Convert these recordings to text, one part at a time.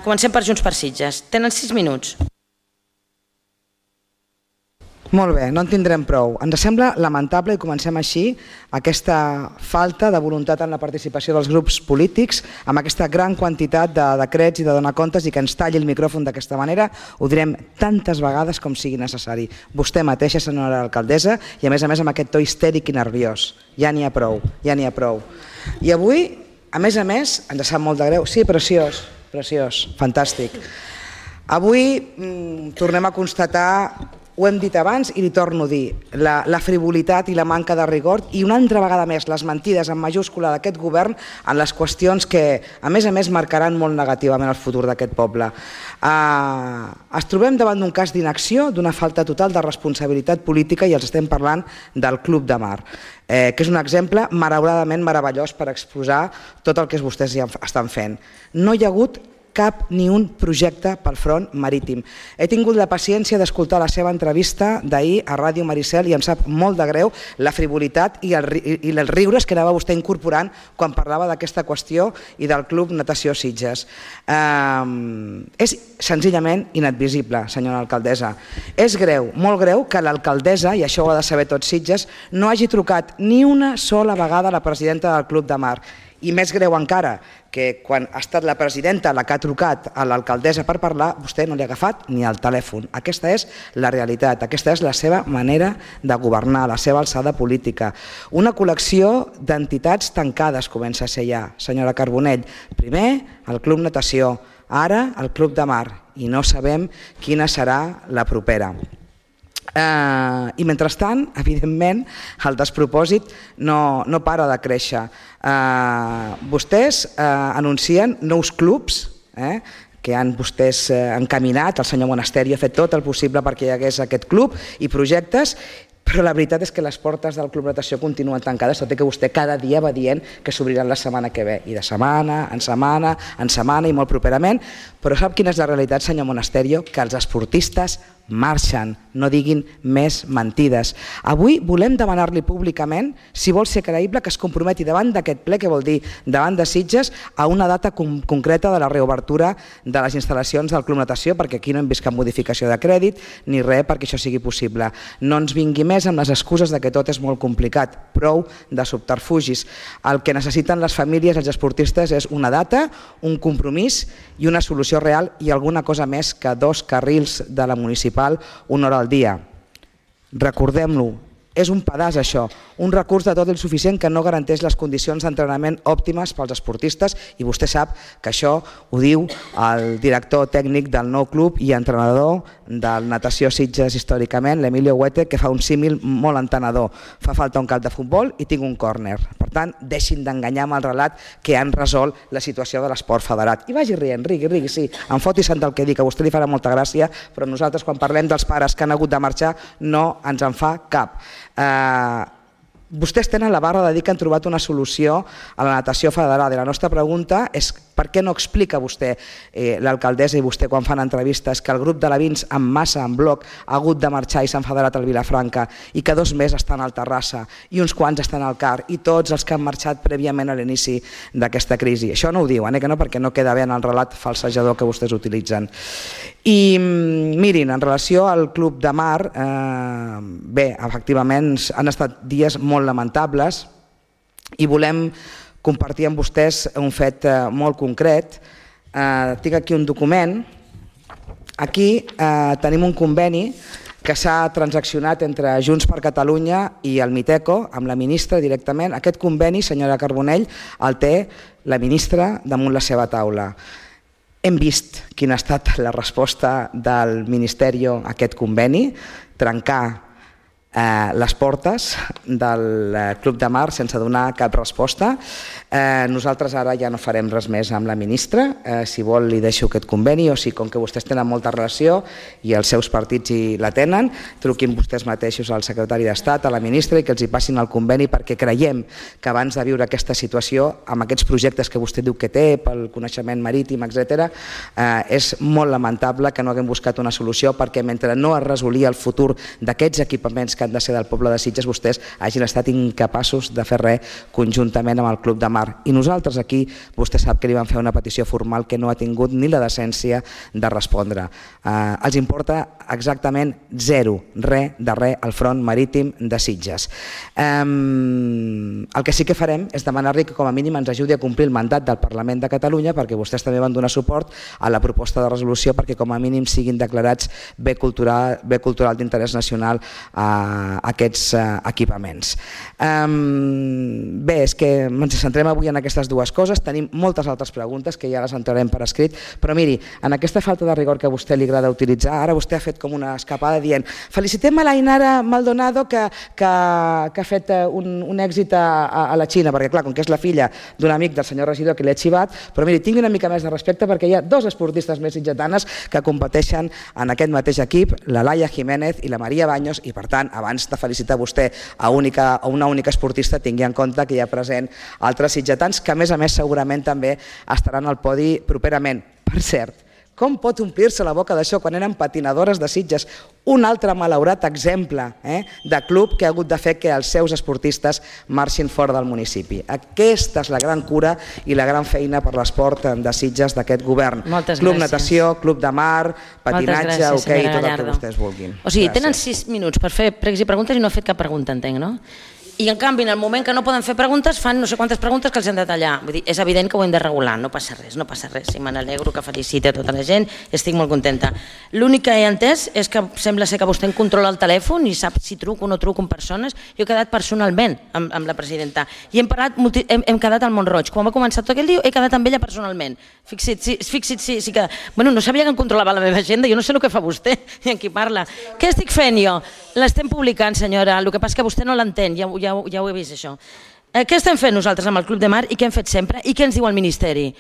Comencem per Junts per Sitges. Tenen 6 minuts. Molt bé, no en tindrem prou. Ens sembla lamentable, i comencem així, aquesta falta de voluntat en la participació dels grups polítics, amb aquesta gran quantitat de decrets i de donar comptes, i que ens talli el micròfon d'aquesta manera. Ho direm tantes vegades com sigui necessari. Vostè mateixa, senyora alcaldessa, i a més amb aquest to histèric i nerviós. Ja n'hi ha prou, ja n'hi ha prou. I avui, a més, ens sap molt de greu. Sí, preciós, fantàstic. Avui tornem a constatar, ho hem dit abans i li torno a dir, la frivolitat i la manca de rigor, i una altra vegada més les mentides en majúscula d'aquest govern en les qüestions que a més marcaran molt negativament el futur d'aquest poble. Ens trobem davant d'un cas d'inacció, d'una falta total de responsabilitat política, i els estem parlant del Club de Mar, que és un exemple malauradament meravellós per exposar tot el que vostès ja estan fent. No hi ha hagut cap ni un projecte pel front marítim. He tingut la paciència d'escoltar la seva entrevista d'ahir a Ràdio Maricel i em sap molt de greu la frivolitat i els riures que anava vostè incorporant quan parlava d'aquesta qüestió i del Club Natació Sitges. És senzillament inadmissible, senyora alcaldessa. És greu, molt greu, que l'alcaldessa, i això ho ha de saber tot Sitges, no hagi trucat ni una sola vegada a la presidenta del Club de Mar. I més greu encara, que quan ha estat la presidenta la que ha trucat a l'alcaldessa per parlar, vostè no li ha agafat ni el telèfon. Aquesta és la realitat, aquesta és la seva manera de governar, la seva alçada política. Una col·lecció d'entitats tancades comença a ser ja, senyora Carbonell. Primer, el Club Natació, ara el Club de Mar, i no sabem quina serà la propera. I mentrestant, evidentment, el despropòsit no para de créixer. Vostès anuncien nous clubs que han vostès encaminat, el senyor Monasterio ha fet tot el possible perquè hi hagués aquest club i projectes, però la veritat és que les portes del Club Natació continuen tancades, tot i que vostè cada dia va dient que s'obriran la setmana que ve, i de setmana en setmana i molt properament. Però sap quina és la realitat, senyor Monasterio? Que els esportistes marxen, no diguin més mentides. Avui volem demanar-li públicament, si vol ser creïble, que es comprometi davant d'aquest ple, que vol dir davant de Sitges, a una data concreta de la reobertura de les instal·lacions del Club Natació, perquè aquí no hem vist cap modificació de crèdit ni res perquè això sigui possible. No ens vingui més amb les excuses de que tot és molt complicat, prou de subterfugis. El que necessiten les famílies, els esportistes, és una data, un compromís i una solució real, i alguna cosa més que 2 carrils de la municipal una hora al dia. Recordem-lo, és un pedaç això, un recurs de tot insuficient que no garanteix les condicions d'entrenament òptimes pels esportistes, i vostè sap que això ho diu el director tècnic del nou club i entrenador del Natació Sitges històricament, l'Emilio Huete, que fa un símil molt entenedor. Fa falta un camp de futbol i tinc un córner. Per tant, deixin d'enganyar amb el relat que han resolt la situació de l'esport federat. I vagi rient, rigui, sí, em foti sant el que dic, a vostè li farà molta gràcia, però nosaltres quan parlem dels pares que han hagut de marxar no ens en fa cap. Vostès tenen la barra de dir que han trobat una solució a la natació federada, i la nostra pregunta és per què no explica vostè, l'alcaldessa i vostè quan fan entrevistes, que el grup de l'Avins en massa, en bloc, ha hagut de marxar i s'han federat al Vilafranca, i que 2 més estan al Terrassa i uns quants estan al CAR, i tots els que han marxat prèviament a l'inici d'aquesta crisi. Això no ho diuen, que no, perquè no queda bé en el relat falsejador que vostès utilitzen. I mirin, en relació al Club de Mar, bé, efectivament han estat dies molt lamentables i volem compartir amb vostès un fet molt concret. Tinc aquí un document. Aquí tenim un conveni que s'ha transaccionat entre Junts per Catalunya i el Miteco, amb la ministra directament. Aquest conveni, senyora Carbonell, el té la ministra damunt la seva taula. Hem vist quina ha estat la resposta del Ministeri a aquest conveni, trencar les portes del Club de Mar sense donar cap resposta. Nosaltres ara ja no farem res més amb la ministra. Si vol li deixo aquest conveni, o si com que vostès tenen molta relació i els seus partits hi la tenen, truquin vostès mateixos al secretari d'Estat, a la ministra, i que els hi passin el conveni, perquè creiem que abans de viure aquesta situació, amb aquests projectes que vostè diu que té pel coneixement marítim, etc., és molt lamentable que no haguem buscat una solució, perquè mentre no es resolia el futur d'aquests equipaments que que han de ser del poble de Sitges, vostès hagin estat incapaços de fer res conjuntament amb el Club de Mar. I nosaltres aquí, vostè sap que li vam fer una petició formal que no ha tingut ni la decència de respondre. Els importa exactament zero, res de res al front marítim de Sitges. El que sí que farem és demanar-li que com a mínim ens ajudi a complir el mandat del Parlament de Catalunya, perquè vostès també van donar suport a la proposta de resolució perquè com a mínim siguin declarats bé cultural d'interès nacional aquests equipaments. Bé, és que ens centrem avui en aquestes dues coses, tenim moltes altres preguntes que ja les entrarem per escrit, però miri, en aquesta falta de rigor que a vostè li agrada utilitzar, ara vostè ha fet com una escapada dient felicitem a l'Ainara Maldonado que ha fet un èxit a la Xina, perquè clar, com que és la filla d'un amic del senyor regidor que l'he xivat, però miri, tingui una mica més de respecte perquè hi ha dos esportistes més sitgetanes que competeixen en aquest mateix equip, la Laia Jiménez i la Maria Baños, i per tant, abans de felicitar vostè a una única esportista, tingui en compte que hi ha present altres sitgetans que a més segurament també estaran al podi properament. Per cert, com pot omplir-se la boca d'això quan eren patinadores de Sitges? Un altre malaurat exemple de club que ha hagut de fer que els seus esportistes marxin fora del municipi. Aquesta és la gran cura i la gran feina per l'esport de Sitges d'aquest govern. Club natació, club de mar, patinatge, hoquei, tot el que vostès vulguin. O sigui, tenen 6 minuts per fer pregs i preguntes i no ha fet cap pregunta, entenc, no? I en canvi, en el moment que no poden fer preguntes, fan no sé quantes preguntes que els han de tallar. Vull dir, és evident que ho hem de regular, no passa res, no passa res. I me n'alegro que feliciti a tota la gent, estic molt contenta. L'únic que he entès és que sembla ser que vostè en controla el telèfon i sap si truco o no truco amb persones. Jo he quedat personalment amb la presidenta i hem quedat al Mont-roig. Quan va començar tot aquell dia he quedat amb ella personalment. Fixi't, sí que... Bueno, no sabia que em controlava la meva agenda, jo no sé el que fa vostè i amb qui parla. Què estic fent jo? L'estem publicant, senyora, el que passa que vostè no l'entén, ja ho he vist això. Què estem fent nosaltres amb el Club de Mar i què hem fet sempre i què ens diu el Ministeri?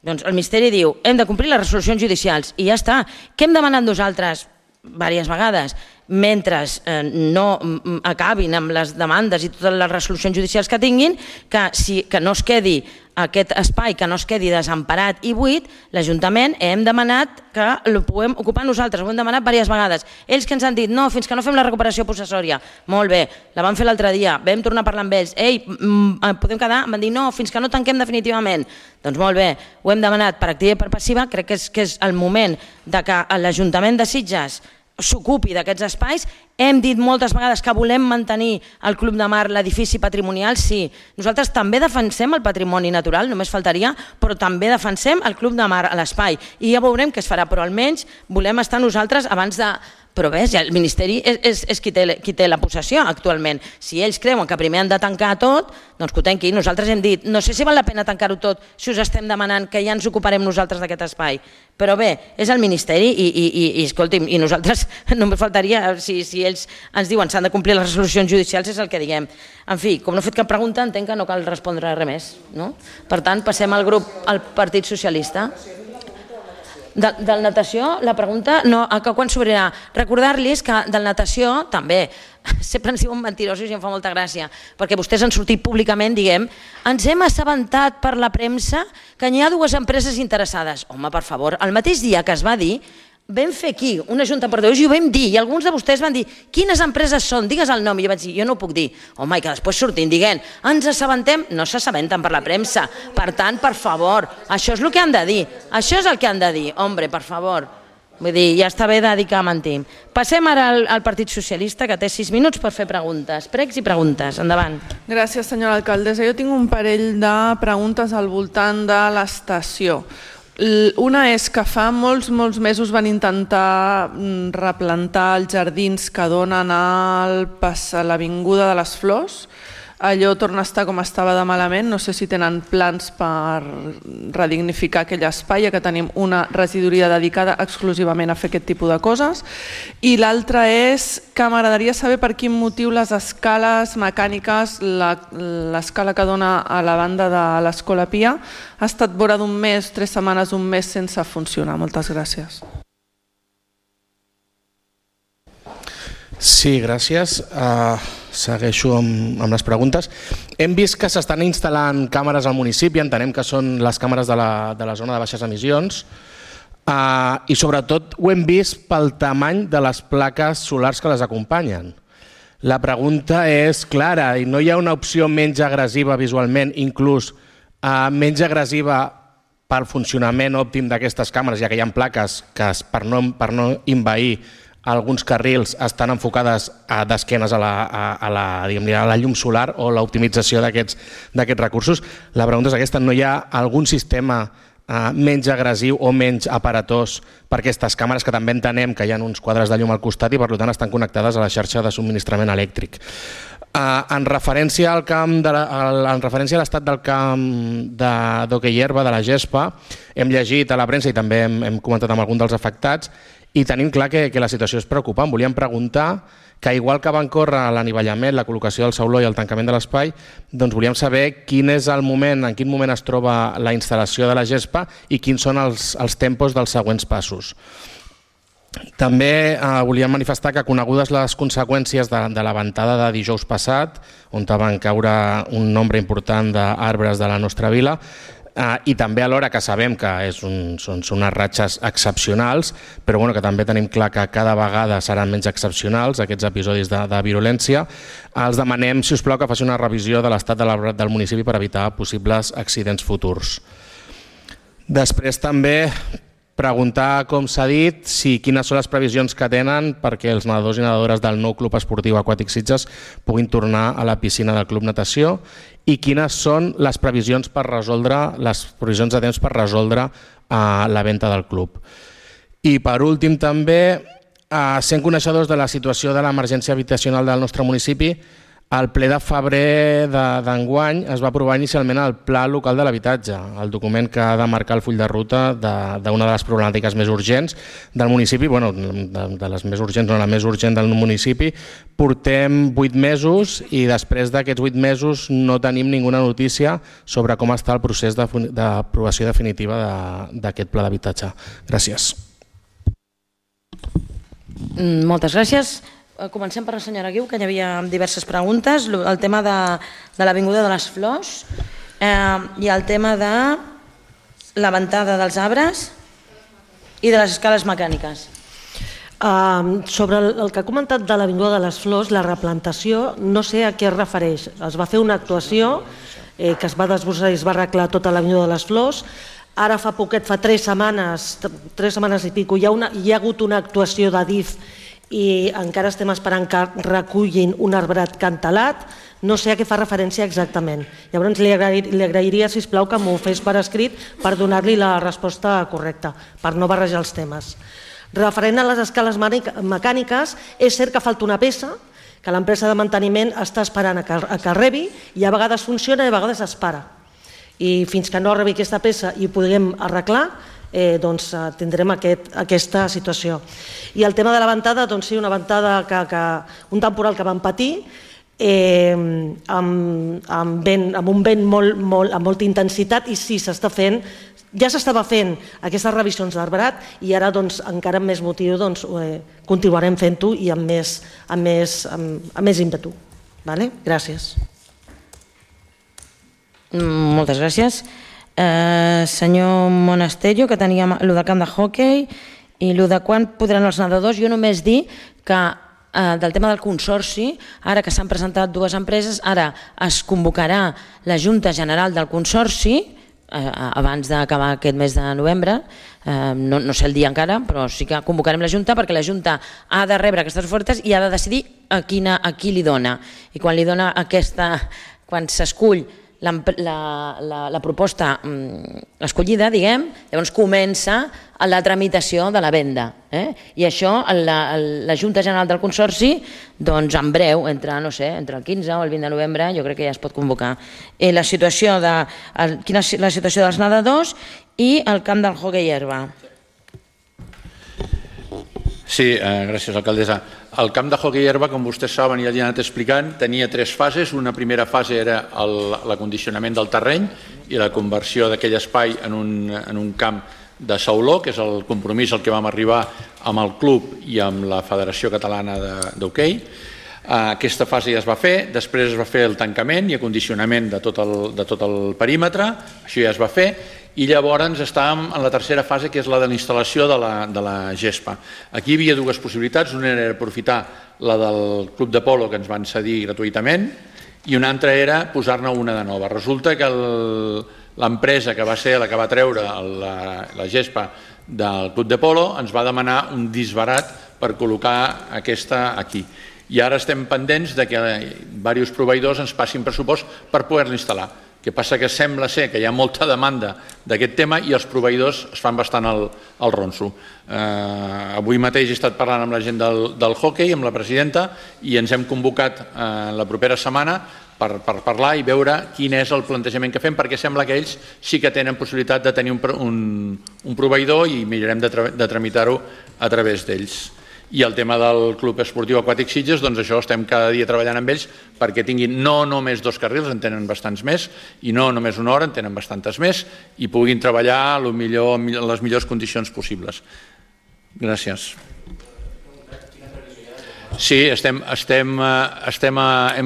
Doncs el Ministeri diu hem de complir les resolucions judicials i ja està. Què hem demanat nosaltres diverses vegades? Mentre no acabin amb les demandes i totes les resolucions judicials que tinguin, que no es quedi aquest espai, que no es quedi desemparat i buit, l'Ajuntament hem demanat que el puguem ocupar nosaltres, ho hem demanat diverses vegades. Ells que ens han dit, no, fins que no fem la recuperació possessòria. Molt bé, la vam fer l'altre dia, vam tornar a parlar amb ells, ei, podem quedar? Em van dir, no, fins que no tanquem definitivament. Doncs molt bé, ho hem demanat per activa i per passiva, crec que és el moment que l'Ajuntament de Sitges s'ocupi d'aquests espais. Hem dit moltes vegades que volem mantenir el Club de Mar, l'edifici patrimonial, sí. Nosaltres també defensem el patrimoni natural, només faltaria, però també defensem el Club de Mar a l'espai. I ja veurem què es farà, però almenys volem estar nosaltres abans de... Però ves, el Ministeri és qui té la possessió actualment. Si ells creuen que primer han de tancar tot, doncs que ho tanqui. Nosaltres hem dit, no sé si val la pena tancar-ho tot si us estem demanant que ja ens ocuparem nosaltres d'aquest espai. Però bé, és el Ministeri i escolti'm, i nosaltres només faltaria, si ells ens diuen s'han de complir les resolucions judicials, és el que diguem. En fi, com no he fet cap pregunta, entenc que no cal respondre res més. Per tant, passem al grup, al Partit Socialista. Del natació, la pregunta, que quan s'obrirà? Recordar-los que del natació també, sempre ens diuen mentirosos i em fa molta gràcia, perquè vostès han sortit públicament, diguem, ens hem assabentat per la premsa que hi ha 2 empreses interessades. Home, per favor, el mateix dia que es va dir, vam fer aquí una junta de portaveus i ho vam dir, i alguns de vostès van dir quines empreses són, digues el nom, i jo vaig dir jo no ho puc dir, home, i que després surtin dient ens assabentem, no s'assabenten per la premsa, per tant, per favor, això és el que han de dir, això és el que han de dir, hombre, per favor, vull dir, ja està bé de dir que mentim. Passem ara al Partit Socialista, que té 6 minuts per fer preguntes, pregs i preguntes, endavant. Gràcies, senyora alcaldessa. Jo tinc un parell de preguntes al voltant de l'estació. Una és que fa molts mesos van intentar replantar els jardins que donen a l'Avinguda de les Flors. Allò torna a estar com estava de malament, no sé si tenen plans per redignificar aquell espai, ja que tenim una regidoria dedicada exclusivament a fer aquest tipus de coses. I l'altra és que m'agradaria saber per quin motiu les escales mecàniques, l'escala que dona a la banda de l'Escola Pia, ha estat vora d'un mes, 3 setmanes, un mes sense funcionar. Moltes gràcies. Sí, gràcies. Segueixo amb les preguntes. Hem vist que s'estan instal·lant càmeres al municipi, entenem que són les càmeres de la zona de baixes emissions, i sobretot ho hem vist pel tamany de les plaques solars que les acompanyen. La pregunta és clara i no hi ha una opció menys agressiva visualment, inclús menys agressiva pel funcionament òptim d'aquestes càmeres, ja que hi ha plaques que per no envair alguns carrils estan enfocades d'esquenes a la llum solar o l'optimització d'aquests recursos. La pregunta és aquesta, no hi ha algun sistema menys agressiu o menys aparatós per aquestes càmeres, que també entenem que hi ha uns quadres de llum al costat i per tant estan connectades a la xarxa de subministrament elèctric. En referència a l'estat del camp d'hoquei herba, de la gespa, hem llegit a la premsa i també hem comentat amb algun dels afectats i tenim clar que la situació és preocupant. Volíem preguntar que, igual que van córrer l'anivellament, la col·locació del sauló i el tancament de l'espai, doncs volíem saber quin és el moment, en quin moment es troba la instal·lació de la gespa i quins són els tempos dels següents passos. També volíem manifestar que, conegudes les conseqüències de la ventada de dijous passat, on van caure un nombre important d'arbres de la nostra vila, i també alhora que sabem que són unes ratxes excepcionals, però que també tenim clar que cada vegada seran menys excepcionals aquests episodis de virulència, els demanem, si us plau, que faci una revisió de l'estat de l'arbrat del municipi per evitar possibles accidents futurs. Després també preguntar, com s'ha dit, quines són les previsions que tenen perquè els nedadors i nedadores del nou Club Esportiu Aquàtic Sitges puguin tornar a la piscina del Club Natació i quines són les previsions de temps per resoldre la venda del club. I per últim també, sent coneixedors de la situació de l'emergència habitacional del nostre municipi, al ple de febrer d'enguany es va aprovar inicialment el Pla Local de l'Habitatge, el document que ha de marcar el full de ruta d'una de les problemàtiques més urgents del municipi, de les més urgents, no la més urgent del municipi. Portem 8 mesos i després d'aquests 8 mesos no tenim ninguna notícia sobre com està el procés d'aprovació definitiva d'aquest pla d'habitatge. Gràcies. Moltes gràcies. Comencem per la senyora Guiu, que hi havia diverses preguntes. El tema de l'Avinguda de les Flors i el tema de la ventada dels arbres i de les escales mecàniques. Sobre el que ha comentat de l'Avinguda de les Flors, la replantació, no sé a què es refereix. Es va fer una actuació que es va desbrossar i es va arreglar tota l'Avinguda de les Flors. Ara fa poquet, fa 3 setmanes i pico, hi ha hagut una actuació d'Adif i encara estem esperant que recullin un arbrat cantelat. No sé a què fa referència exactament. Llavors li agrairia, sisplau, que m'ho fes per escrit per donar-li la resposta correcta, per no barrejar els temes. Referent a les escales mecàniques, és cert que falta una peça que l'empresa de manteniment està esperant a que rebi i a vegades funciona i a vegades es para. I fins que no arribi aquesta peça i ho podrem arreglar, doncs tindrem aquesta situació. I el tema de la ventada, doncs sí, una ventada, un temporal que vam patir amb un vent amb molta intensitat i sí, s'està fent, ja s'estava fent aquestes revisions d'arbrat i ara encara amb més motiu continuarem fent-ho i amb més ímpetu. Gràcies. Moltes gràcies. Senyor Monasterio, que teníem el del camp de hoquei i el de quan podran els nedadors. Jo només dir que del tema del consorci, ara que s'han presentat 2 empreses, ara es convocarà la Junta General del Consorci abans d'acabar aquest mes de novembre, no sé el dia encara, però sí que convocarem la Junta perquè la Junta ha de rebre aquestes ofertes i ha de decidir a qui li dona. I quan li dona quan s'escull la proposta escollida, llavors comença la tramitació de la venda. I això, la Junta General del Consorci, doncs en breu, entre el 15 o el 20 de novembre, jo crec que ja es pot convocar. Quina és la situació dels nedadors i el camp del hoquei herba. Sí, gràcies, alcaldessa. El camp de hoquei herba, com vostès saben i ja han anat explicant, tenia 3 fases. Una primera fase era l'acondicionament del terreny i la conversió d'aquell espai en un camp de sauló, que és el compromís al que vam arribar amb el club i amb la Federació Catalana d'Hoquei. Aquesta fase ja es va fer, després es va fer el tancament i acondicionament de tot el perímetre, això ja es va fer, i llavors estàvem en la tercera fase, que és la de la instal·lació de la gespa. Aquí hi havia dues possibilitats, una era aprofitar la del club de polo que ens van cedir gratuïtament i una altra era posar-ne una de nova. Resulta que l'empresa que va ser la que va treure la gespa del club de polo ens va demanar un disbarat per col·locar aquesta aquí. I ara estem pendents que diversos proveïdors ens passin pressupost per poder-la instal·lar. El que passa que sembla ser que hi ha molta demanda d'aquest tema i els proveïdors es fan bastant el ronso. Avui mateix he estat parlant amb la gent del hoquei, amb la presidenta, i ens hem convocat la propera setmana per parlar i veure quin és el plantejament que fem, perquè sembla que ells sí que tenen possibilitat de tenir un proveïdor i mirarem de tramitar-ho a través d'ells. I el tema del Club Esportiu Aquàtic Sitges, doncs això estem cada dia treballant amb ells perquè tinguin no només 2 carrils, en tenen bastants més, i no només una hora, en tenen bastantes més, i puguin treballar en les millors condicions possibles. Gràcies. Sí, hem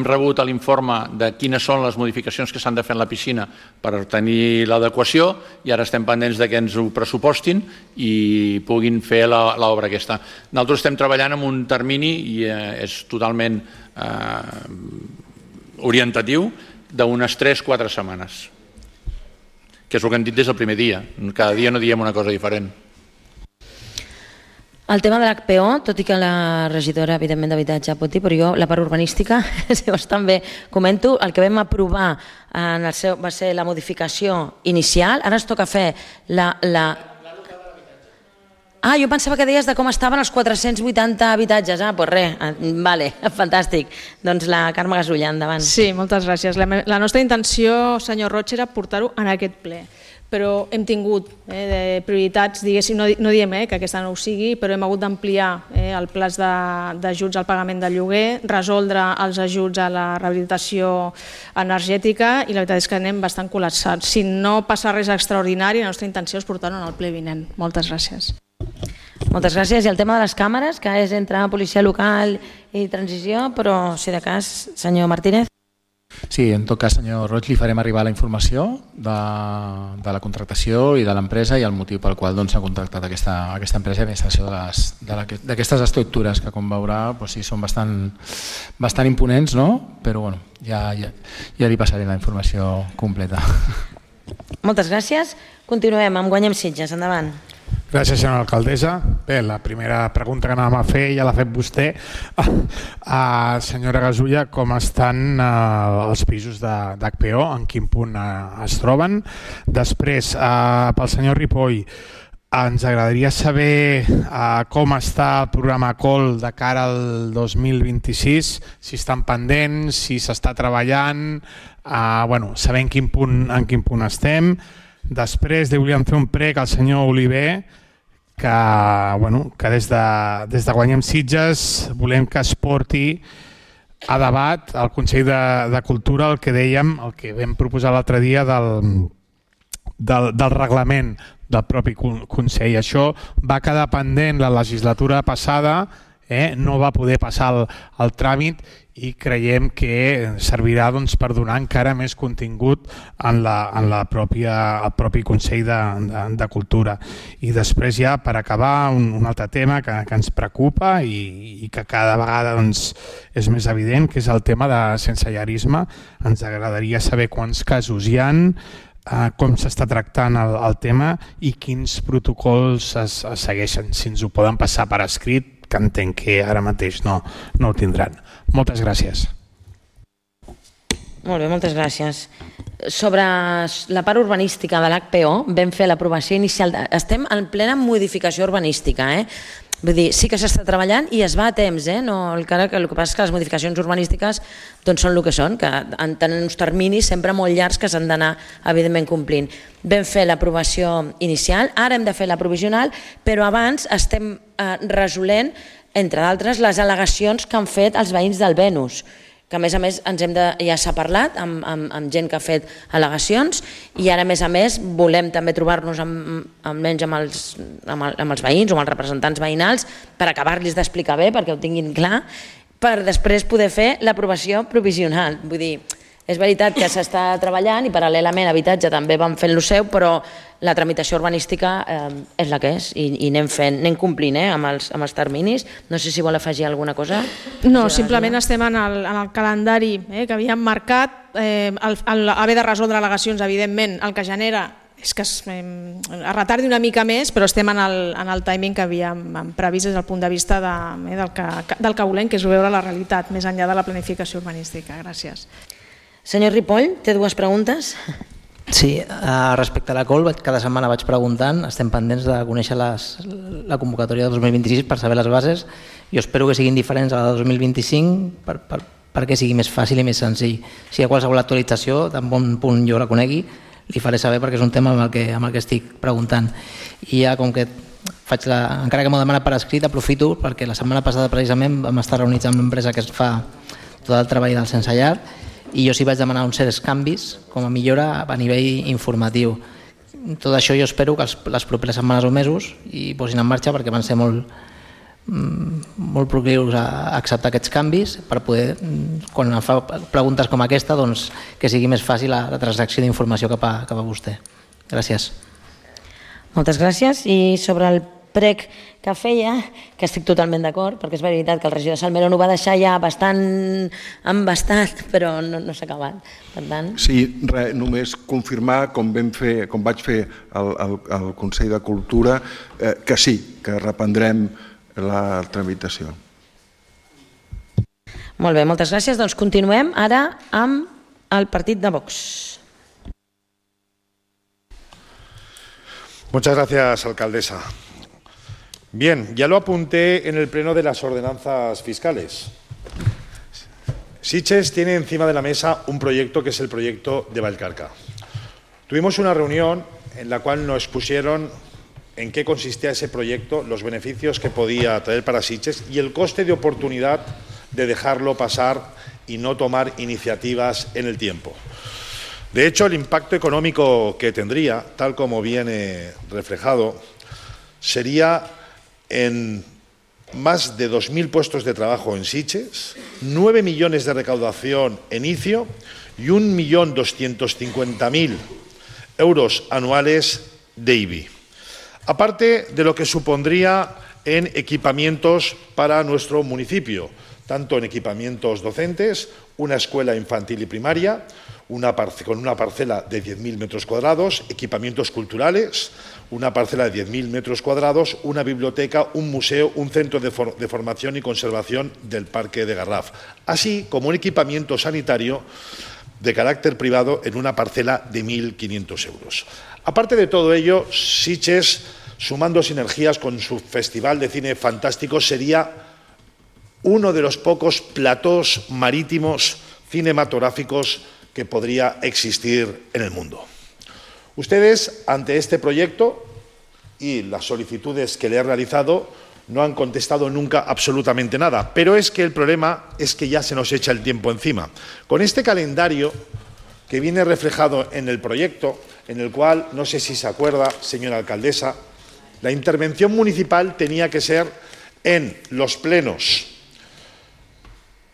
rebut l'informe de quines són les modificacions que s'han de fer en la piscina per tenir l'adequació i ara estem pendents que ens ho pressupostin i puguin fer l'obra aquesta. Nosaltres estem treballant en un termini i és totalment orientatiu d'unes 3-4 setmanes, que és el que hem dit des del primer dia. Cada dia no diem una cosa diferent. El tema de l'HPO, tot i que la regidora, evidentment, d'habitatge pot dir, però jo la part urbanística, llavors també comento, el que vam aprovar va ser la modificació inicial, ara ens toca fer jo pensava que deies de com estaven els 480 habitatges. Doncs res, vale, fantàstic. Doncs la Carme Gasulla, endavant. Sí, moltes gràcies. La nostra intenció, senyor Roig, era portar-ho en aquest ple, però hem tingut prioritats, diguéssim, no diem que aquesta no ho sigui, però hem hagut d'ampliar el pla d'ajuts al pagament del lloguer, resoldre els ajuts a la rehabilitació energètica i la veritat és que anem bastant col·lapsats. Si no passa res extraordinari, la nostra intenció és portar-ho en el ple vinent. Moltes gràcies. Moltes gràcies. I el tema de les càmeres, que és entre policia local i transició, però si de cas, senyor Martínez. Sí, en tot cas, senyor Roig, li farem arribar la informació de la contractació i de l'empresa i el motiu pel qual s'ha contractat aquesta empresa d'administració d'aquestes estructures que, com veurà, sí, són bastant imponents, però ja li passaré la informació completa. Moltes gràcies. Continuem amb Guanyem Sitges. Endavant. Gràcies, senyora alcaldessa. Bé, la primera pregunta que anàvem a fer ja l'ha fet vostè. Senyora Gasulla, com estan els pisos d'HPO? En quin punt es troben? Després, pel senyor Ripoll, ens agradaria saber com està el programa COL de cara al 2026, si estan pendents, si s'està treballant, saber en quin punt estem. Després li volíem fer un prec al senyor Oliver que des de Guanyem Sitges volem que es porti a debat al Consell de Cultura el que dèiem, el que vam proposar l'altre dia del reglament del propi Consell. Això va quedar pendent la legislatura passada, no va poder passar el tràmit i creiem que servirà per donar encara més contingut al propi Consell de Cultura. I després ja, per acabar, un altre tema que ens preocupa i que cada vegada és més evident, que és el tema de sensellarisme. Ens agradaria saber quants casos hi ha, com s'està tractant el tema i quins protocols es segueixen. Si ens ho poden passar per escrit, que entenc que ara mateix no ho tindran. Moltes gràcies. Molt bé, moltes gràcies. Sobre la part urbanística de l'HPO, vam fer l'aprovació inicial. Estem en plena modificació urbanística, Vull dir, sí que s'està treballant i es va a temps, el que passa és que les modificacions urbanístiques són el que són, que tenen uns terminis sempre molt llargs que s'han d'anar, evidentment, complint. Vam fer l'aprovació inicial, ara hem de fer la provisional, però abans estem resolent, entre d'altres, les al·legacions que han fet els veïns del Venus, que a més ja s'ha parlat amb gent que ha fet al·legacions i ara a més volem també trobar-nos almenys amb els veïns o amb els representants veïnals per acabar-los d'explicar bé perquè ho tinguin clar, per després poder fer l'aprovació provisional. Vull dir, És veritat que s'està treballant i paral·lelament habitatge també van fent lo seu, però la tramitació urbanística és la que és i anem complint amb els terminis. No sé si vol afegir alguna cosa. No, simplement estem en el calendari que havíem marcat. Haver de resoldre al·legacions, evidentment, el que genera és que es retardi una mica més, però estem en el timing que havíem previst des del punt de vista del que volem, que és veure la realitat, més enllà de la planificació urbanística. Gràcies. Senyor Ripoll, té dues preguntes. Sí, respecte a la COL, cada setmana vaig preguntant, estem pendents de conèixer la convocatòria de 2026 per saber les bases. Jo espero que siguin diferents a la de 2025 perquè sigui més fàcil i més senzill. Si hi ha qualsevol actualització, tan bon punt jo la conegui, li faré saber perquè és un tema amb el que estic preguntant. I ja com que encara que m'ho demanat per escrit, aprofito perquè la setmana passada precisament vam estar reunits amb l'empresa que es fa tot el treball del sense llar i jo sí vaig demanar uns certs canvis com a millora a nivell informatiu. Tot això jo espero que les properes setmanes o mesos hi posin en marxa perquè van ser molt proclius a acceptar aquests canvis per poder, quan em fa preguntes com aquesta, que sigui més fàcil la transacció d'informació cap a vostè. Gràcies. Moltes gràcies. I sobre el prec que feia, que estic totalment d'acord, perquè és veritat que el regidor Salmerón ho va deixar ja bastant embastat, però no s'ha acabat. Per tant... Sí, només confirmar, com vaig fer al Consell de Cultura, que sí, que reprendrem la tramitació. Molt bé, moltes gràcies. Doncs continuem ara amb el partit de Vox. Muchas gracias, alcaldesa. Bien, ya lo apunté en el pleno de las ordenanzas fiscales. Sitges tiene encima de la mesa un proyecto que es el proyecto de Vallcarca. Tuvimos una reunión en la cual nos expusieron en qué consistía ese proyecto, los beneficios que podía traer para Sitges y el coste de oportunidad de dejarlo pasar y no tomar iniciativas en el tiempo. De hecho, el impacto económico que tendría, tal como viene reflejado, sería en más de 2.000 puestos de trabajo en Sitges, 9 millones de recaudación en ICIO y 1.250.000 euros anuales de IBI. Aparte de lo que supondría en equipamientos para nuestro municipio, tanto en equipamientos docentes, una escuela infantil y primaria, con una parcela de 10.000 metros cuadrados, equipamientos culturales, una parcela de 10.000 metros cuadrados, una biblioteca, un museo, un centro de formación y conservación del Parque de Garraf, así como un equipamiento sanitario de carácter privado en una parcela de 1.500 euros. Aparte de todo ello, Sitges, sumando sinergias con su Festival de Cine Fantástico, sería uno de los pocos platós marítimos cinematográficos que podría existir en el mundo. Ustedes, ante este proyecto y las solicitudes que le he realizado, no han contestado nunca absolutamente nada, pero es que el problema es que ya se nos echa el tiempo encima. Con este calendario que viene reflejado en el proyecto, en el cual, no sé si se acuerda, señora alcaldesa, la intervención municipal tenía que ser en los plenos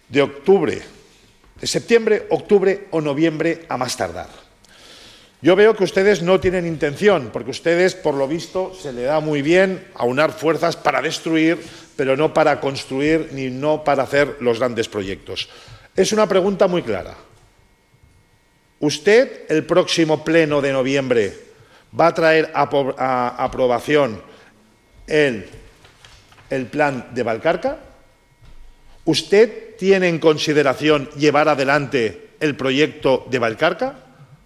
de octubre, de septiembre, octubre o noviembre a más tardar. Yo veo que ustedes no tienen intención, porque ustedes, por lo visto, se le da muy bien aunar fuerzas para destruir, pero no para construir ni no para hacer los grandes proyectos. Es una pregunta muy clara. ¿Usted, el próximo pleno de noviembre, va a traer a aprobación el plan de Vallcarca? ¿Usted tiene en consideración llevar adelante el proyecto de Vallcarca?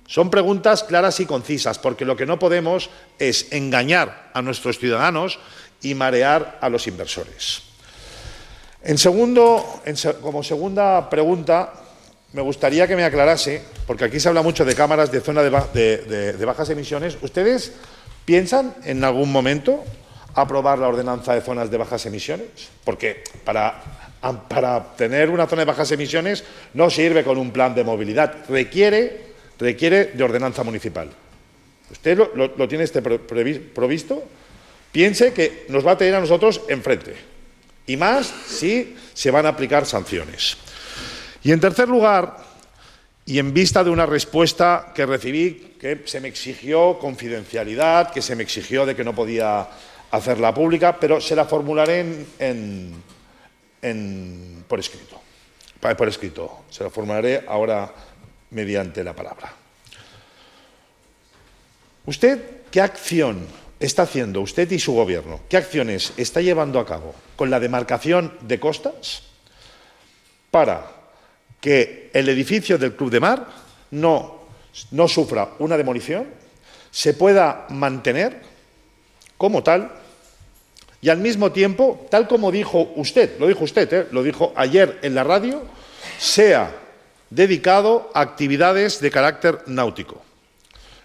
Son preguntas claras y concisas, porque lo que no podemos es engañar a nuestros ciudadanos y marear a los inversores. Como segunda pregunta, me gustaría que me aclarase, porque aquí se habla mucho de cámaras de zona de bajas emisiones. ¿Ustedes piensan en algún momento aprobar la ordenanza de zonas de bajas emisiones? Porque para tener una zona de bajas emisiones no sirve con un plan de movilidad, requiere de ordenanza municipal. ¿Usted lo tiene provisto? Piense que nos va a tener a nosotros enfrente, y más si se van a aplicar sanciones. Y en tercer lugar, y en vista de una respuesta que recibí, que se me exigió confidencialidad, que se me exigió de que no podía hacerla pública, pero se la formularé por escrito. Se la formularé ahora mediante la palabra. ¿Usted qué acción está haciendo, usted y su gobierno, qué acciones está llevando a cabo con la demarcación de costas para que el edificio del Club de Mar no sufra una demolición, se pueda mantener como tal y al mismo tiempo, tal como dijo usted, lo dijo ayer en la radio, sea dedicado a actividades de carácter náutico?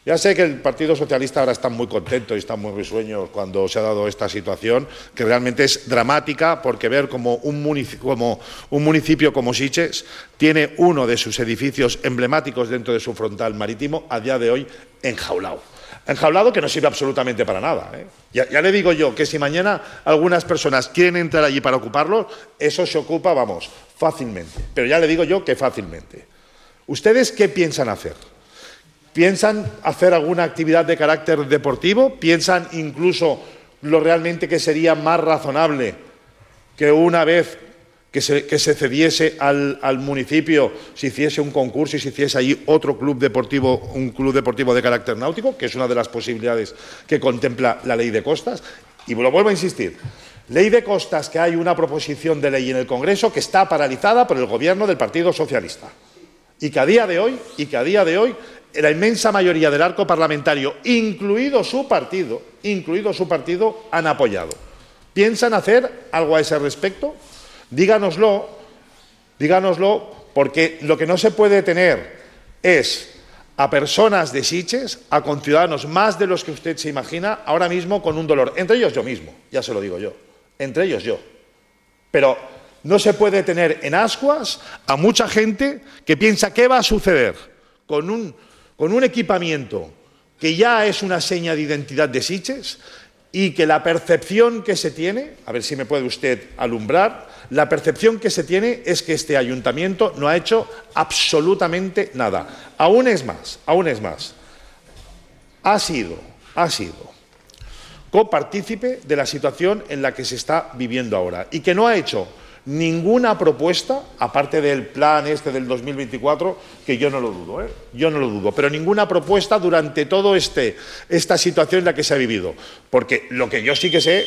Ya sé que el Partido Socialista ahora está muy contento y está muy risueño cuando se ha dado esta situación, que realmente es dramática, porque ver como un municipio como Sitges tiene uno de sus edificios emblemáticos dentro de su frontal marítimo a día de hoy enjaulado. Enjaulado que no sirve absolutamente para nada. Ya le digo yo que si mañana algunas personas quieren entrar allí para ocuparlo, eso se ocupa, vamos, fácilmente. Pero ya le digo yo que fácilmente. ¿Ustedes qué piensan hacer? ¿Piensan hacer alguna actividad de carácter deportivo? ¿Piensan incluso lo realmente que sería más razonable que una vez que se cediese al municipio, se hiciese un concurso y se hiciese allí otro club deportivo, un club deportivo de carácter náutico, que es una de las posibilidades que contempla la Ley de Costas? Y lo vuelvo a insistir, Ley de Costas, que hay una proposición de ley en el Congreso que está paralizada por el Gobierno del Partido Socialista y que a día de hoy la inmensa mayoría del arco parlamentario, incluido su partido, han apoyado. ¿Piensan hacer algo a ese respecto? Díganoslo, porque lo que no se puede tener es a personas de Sitges, a conciudadanos más de los que usted se imagina, ahora mismo con un dolor. Entre ellos yo mismo, ya se lo digo yo. Entre ellos yo. Pero no se puede tener en ascuas a mucha gente que piensa qué va a suceder con un equipamiento que ya es una seña de identidad de Sitges y que la percepción que se tiene, a ver si me puede usted alumbrar, la percepción que se tiene es que este ayuntamiento no ha hecho absolutamente nada. Aún es más, ha sido copartícipe de la situación en la que se está viviendo ahora y que no ha hecho ninguna propuesta, aparte del plan del 2024, que yo no lo dudo, pero ninguna propuesta durante toda esta situación en la que se ha vivido. Porque lo que yo sí que sé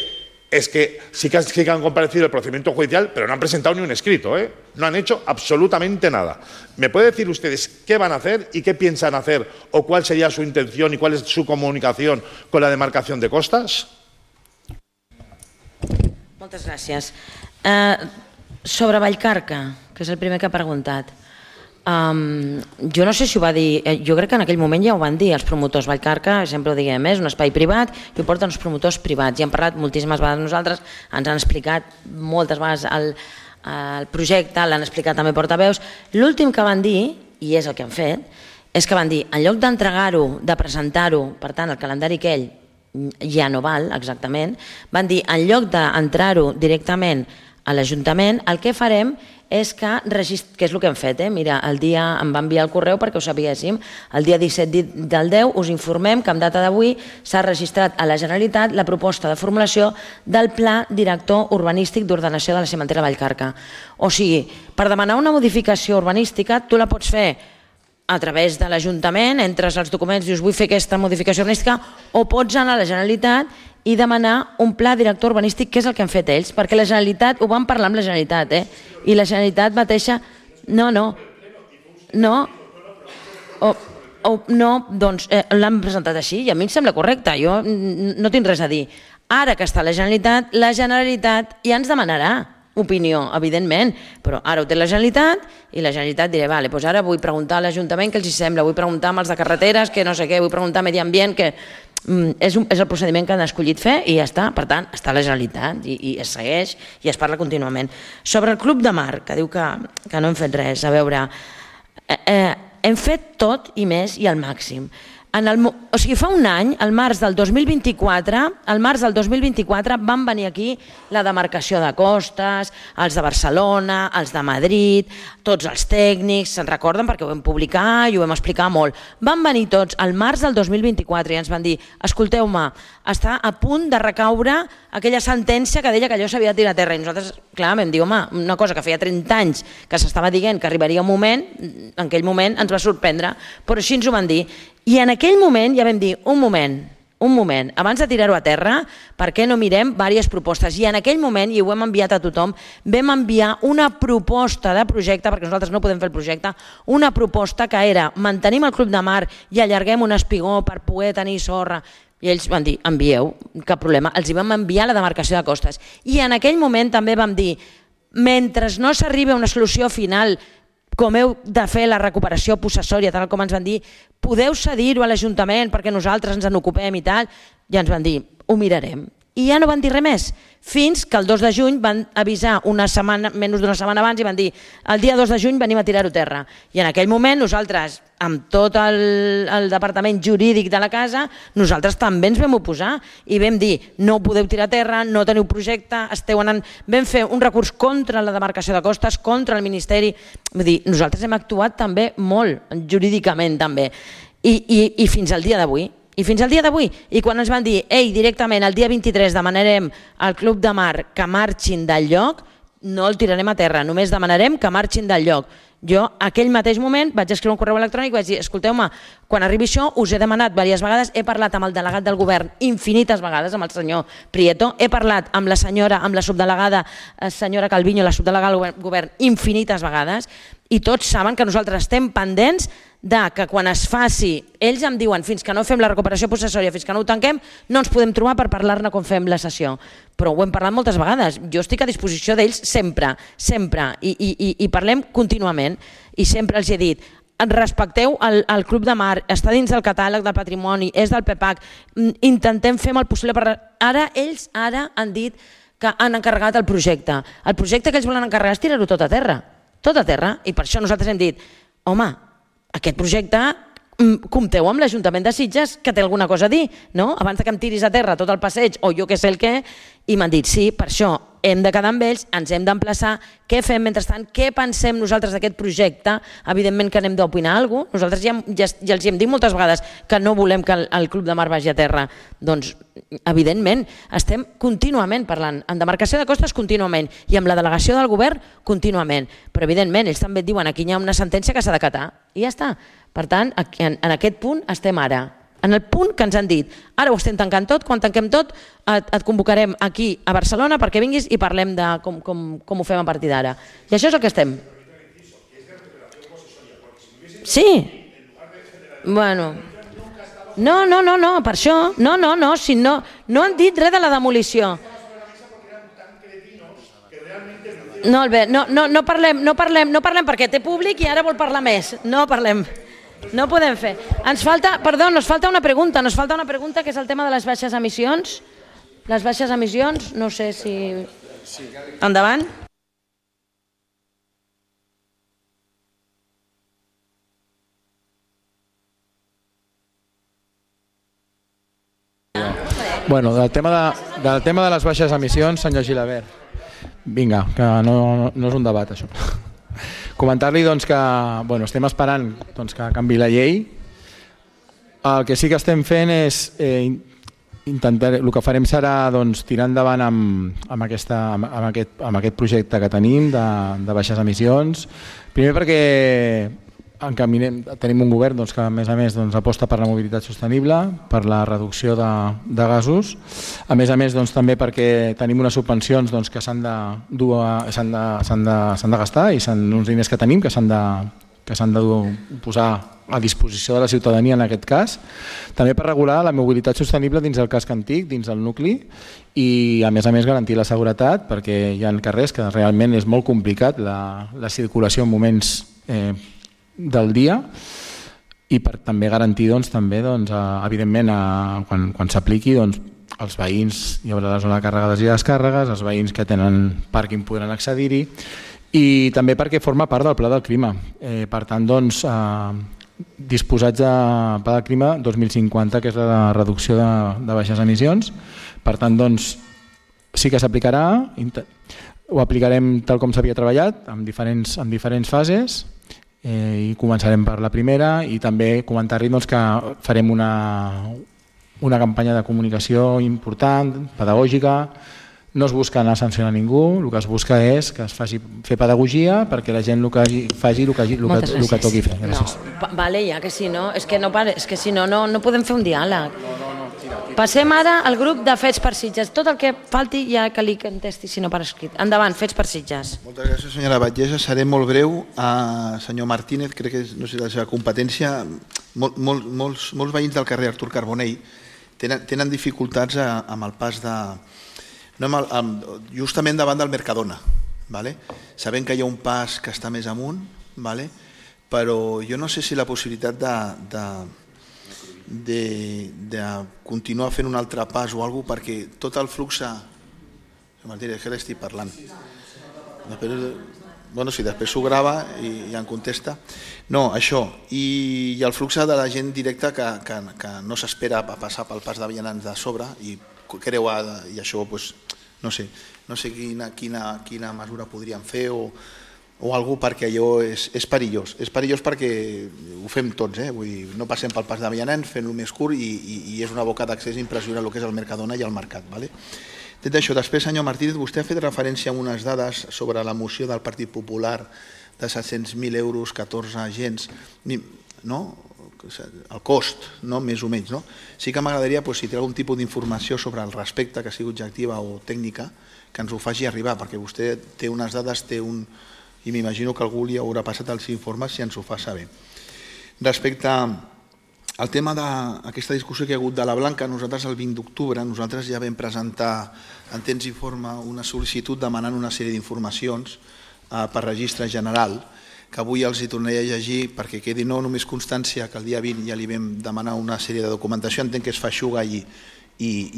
es que sí que han comparecido el procedimiento judicial, pero no han presentado ni un escrito, no han hecho absolutamente nada. ¿Me puede decir ustedes qué van a hacer y qué piensan hacer o cuál sería su intención y cuál es su comunicación con la demarcación de costas? Moltes gràcies. Sobre Vallcarca, que és el primer que ha preguntat, jo no sé si ho va dir, jo crec que en aquell moment ja ho van dir els promotors. Vallcarca, sempre ho diguem, és un espai privat i ho porten els promotors privats, i hem parlat moltíssimes vegades nosaltres, ens han explicat moltes vegades el projecte, l'han explicat també portaveus. L'últim que van dir, i és el que han fet, és que van dir, en lloc d'entregar-ho, de presentar-ho, per tant el calendari aquell ja no val exactament, van dir, en lloc d'entrar-ho directament a l'Ajuntament, el que farem és que és el que hem fet, mira, el dia em va enviar el correu perquè ho sabíéssim, el dia 17 del 10 us informem que en data d'avui s'ha registrat a la Generalitat la proposta de formulació del Pla Director Urbanístic d'Ordenació de la Cimentera Vallcarca. O sigui, per demanar una modificació urbanística tu la pots fer a través de l'Ajuntament, entres als documents i dius vull fer aquesta modificació urbanística, o pots anar a la Generalitat i demanar un pla director urbanístic, que és el que han fet ells, perquè la Generalitat, ho van parlar amb la Generalitat, i la Generalitat mateixa... No, doncs l'han presentat així i a mi em sembla correcte, jo no tinc res a dir. Ara que està la Generalitat ja ens demanarà opinió, evidentment, però ara ho té la Generalitat i la Generalitat dirà, vale, doncs ara vull preguntar a l'Ajuntament què els sembla, vull preguntar amb els de carreteres, que no sé què, vull preguntar a Medi Ambient, que és el procediment que han escollit fer i ja està. Per tant, està la Generalitat i es segueix i es parla contínuament. Sobre el Club de Mar, que diu que no hem fet res, a veure, hem fet tot i més i al màxim. o sigui, fa un any, al març del 2024, van venir aquí la demarcació de costes, els de Barcelona, els de Madrid, tots els tècnics, se'n recorden perquè ho vam publicar i ho vam explicar molt. Van venir tots al març del 2024 i ens van dir, escolteu-me, està a punt de recaure aquella sentència que deia que allò s'havia de tirar a terra. I nosaltres, clar, vam dir, home, una cosa que feia 30 anys que s'estava dient que arribaria un moment, en aquell moment ens va sorprendre, però així ens ho van dir. I en aquell moment ja vam dir, un moment, abans de tirar-ho a terra, per què no mirem diverses propostes? I en aquell moment, i ho hem enviat a tothom, vam enviar una proposta de projecte, perquè nosaltres no podem fer el projecte, una proposta que era mantenim el Club de Mar i allarguem un espigó per poder tenir sorra. I ells van dir, envieu, cap problema. Els hi vam enviar la demarcació de costes. I en aquell moment també vam dir, mentre no s'arribi a una solució final, com heu de fer la recuperació possessòria, tal com ens van dir, podeu cedir-ho a l'Ajuntament perquè nosaltres ens en ocupem i tal, ja ens van dir, ho mirarem. I ja no van dir res més, fins que el 2 de juny van avisar menys d'una setmana abans i van dir, el dia 2 de juny venim a tirar-ho a terra. I en aquell moment nosaltres, amb tot el departament jurídic de la casa, nosaltres també ens vam oposar i vam dir, no podeu tirar a terra, no teniu projecte, esteu anant... Vam fer un recurs contra la demarcació de costes, contra el Ministeri. Vull dir, nosaltres hem actuat també molt, jurídicament també. I fins al dia d'avui. I fins al dia d'avui, i quan ens van dir, ei, directament el dia 23 demanarem al Club de Mar que marxin del lloc, no el tirarem a terra, només demanarem que marxin del lloc. Jo, aquell mateix moment, vaig escriure un correu electrònic i vaig dir, escolteu-me, quan arribi això us he demanat diverses vegades, he parlat amb el delegat del govern infinites vegades, amb el senyor Prieto, he parlat amb la senyora, amb la subdelegada senyora Calviño, la subdelegada del govern infinites vegades, i tots saben que nosaltres estem pendents de que quan es faci, ells em diuen fins que no fem la recuperació possessòria, fins que no ho tanquem, no ens podem trobar per parlar-ne quan fem la sessió. Però ho hem parlat moltes vegades, jo estic a disposició d'ells sempre, i parlem contínuament, i sempre els he dit, respecteu el Club de Mar, està dins del catàleg del patrimoni, és del PEPAC, intentem fer el possible per... Ells ara han dit que han encarregat el projecte. El projecte que ells volen encarregar és tirar-ho tot a terra, i per això nosaltres hem dit, home, aquest projecte, compteu amb l'Ajuntament de Sitges que té alguna cosa a dir, no? Abans que em tiris a terra tot el passeig o jo què sé el què, i m'han dit, sí, per això hem de quedar amb ells, ens hem d'emplaçar, què fem mentrestant, què pensem nosaltres d'aquest projecte, evidentment que anem d'opinar alguna cosa, nosaltres ja els hem dit moltes vegades que no volem que el Club de Mar vagi a terra, doncs evidentment estem contínuament parlant, en demarcació de costes contínuament i amb la delegació del govern contínuament, però evidentment ells també et diuen aquí hi ha una sentència que s'ha d'acatar i ja està. Per tant, en aquest punt estem ara, en el punt que ens han dit, ara ho estem tancant tot, quan tanquem tot et convocarem aquí a Barcelona perquè vinguis i parlem de com ho fem a partir d'ara. I això és el que estem. Sí. Bueno. No, per això. No, si no han dit res de la demolició. No, Albert, no parlem perquè té públic i ara vol parlar més. No parlem. No podem fer. Nos falta una pregunta, que és el tema de les baixes emissions. Les baixes emissions, no sé si... Endavant. Bueno, del tema de les baixes emissions, senyor Gilabert. Vinga, que no és un debat, això. Comentar-li que estem esperant que canvi la llei. El que sí que estem fent és el que farem serà tirar endavant amb aquest projecte que tenim de baixes emissions. Primer perquè tenim un govern que a més aposta per la mobilitat sostenible, per la reducció de gasos, a més també perquè tenim unes subvencions que s'han de gastar i són uns diners que tenim que s'han de posar a disposició de la ciutadania en aquest cas, també per regular la mobilitat sostenible dins del casc antic, dins del nucli, i a més garantir la seguretat perquè hi ha carrers que realment és molt complicat la circulació en moments del dia, i per també garantir evidentment quan s'apliqui els veïns, hi haurà la zona de càrregues i descàrregues, els veïns que tenen pàrquing podran accedir-hi, i també perquè forma part del Pla del Clima. Per tant, disposats a pagar el clima 2050, que és la reducció de baixes emissions. Per tant, doncs, sí que s'aplicarà, ho aplicarem tal com s'havia treballat, en diferents fases, i començarem per la primera, i també comentar-li que farem una campanya de comunicació important, pedagògica. No es busca anar a sancionar ningú, el que es busca és que es faci fer pedagogia perquè la gent faci el que toqui fer. Gràcies. Vale, ja que si no, és que si no, no podem fer un diàleg. Passem ara al grup de Fets per Sitges. Tot el que falti ja que li contesti, si no per escrit. Endavant, Fets per Sitges. Moltes gràcies, senyora Batllessa. Seré molt breu. Senyor Martínez, crec que no sé la seva competència. Molts veïns del carrer Artur Carbonell tenen dificultats amb el pas de... justament davant del Mercadona. Sabem que hi ha un pas que està més amunt, però jo no sé si la possibilitat de continuar fent un altre pas o alguna cosa, perquè tot el flux... Martínez, què l'estic parlant? Bueno, si després s'ho grava i ja em contesta. No, això. I el flux de la gent directa que no s'espera a passar pel pas de vianants de sobre i creua, i això, no sé quina mesura podríem fer o alguna cosa, perquè allò és perillós. És perillós perquè ho fem tots, vull dir, no passem pel pas de vianants, fent-lo més curt i és una boca d'accés impressionant el que és el Mercadona i el mercat. Dit això, després, senyor Martínez, vostè ha fet referència a unes dades sobre la moció del Partit Popular de 700.000 euros, 14 agents, no? El cost, més o menys. Sí que m'agradaria, si té algun tipus d'informació sobre el respecte, que sigui objectiva o tècnica, que ens ho faci arribar, perquè vostè té unes dades, i m'imagino que algú li haurà passat els informes si ens ho fa saber. Respecte al tema d'aquesta discussió que hi ha hagut de la Blanca, nosaltres el 20 d'octubre ja vam presentar en temps i forma una sol·licitud demanant una sèrie d'informacions per registre general, que avui els hi tornaré a llegir perquè quedi no només constància que el dia 20 ja li vam demanar una sèrie de documentació, entenc que es feixuga i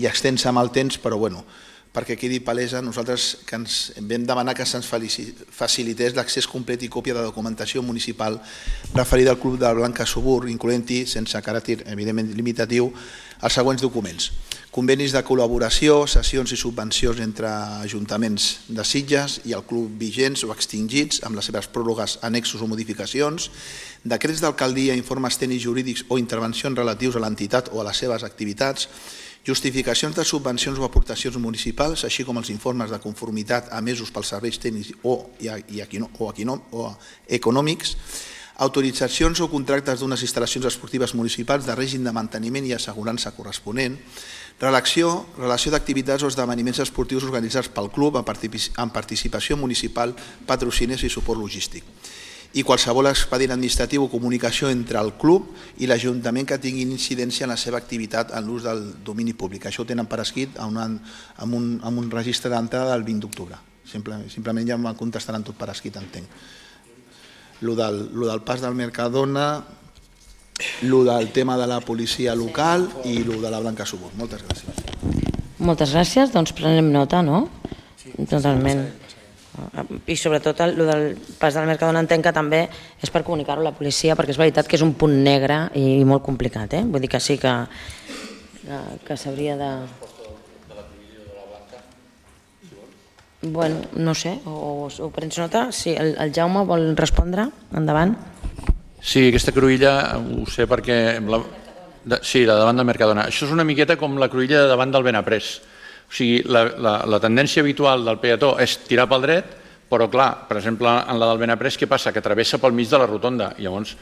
extensa amb el temps, però bueno, perquè quedi palesa, nosaltres que ens vam demanar que se'ns facilités l'accés complet i còpia de documentació municipal referida al Club de la Blanca Subur, incloent-hi, sense caràcter evidentment limitatiu, els següents documents. Convenis de col·laboració, cessions i subvencions entre ajuntaments de Sitges i el club vigents o extingits amb les seves pròrrogues, annexos o modificacions, decrets d'alcaldia, informes tècnics jurídics o intervencions relatius a l'entitat o a les seves activitats, justificacions de subvencions o aportacions municipals, així com els informes de conformitat emesos pels serveis tècnics o econòmics, autoritzacions o contractes d'unes instal·lacions esportives municipals de règim de manteniment i assegurança corresponent, relació d'activitats o esdeveniments esportius organitzats pel club amb participació municipal, patrociners i suport logístic. I qualsevol expedient administratiu o comunicació entre el club i l'Ajuntament que tinguin incidència en la seva activitat en l'ús del domini públic. Això ho tenen per escrit amb un registre d'entrada del 20 d'octubre. Simplement ja em contestaran tot per escrit, entenc. Lo del pas del Mercadona, lo del tema de la policia local i lo de la Blanca Subur. Moltes gràcies. Moltes gràcies, doncs prenem nota, no? Totalment. I sobretot el del pas del Mercadona entenc que també és per comunicar-ho a la policia, perquè és veritat que és un punt negre i molt complicat, vull dir que sí que s'hauria de... Bueno, no sé, ho prens nota? Sí, el Jaume vol respondre? Endavant. Sí, aquesta cruïlla ho sé perquè... Sí, la davant del Mercadona. Això és una miqueta com la cruïlla de davant del Benaprés. O sigui, la tendència habitual del peató és tirar pel dret, però clar, per exemple, en la del Benaprés, què passa? Que travessa pel mig de la rotonda. I llavors,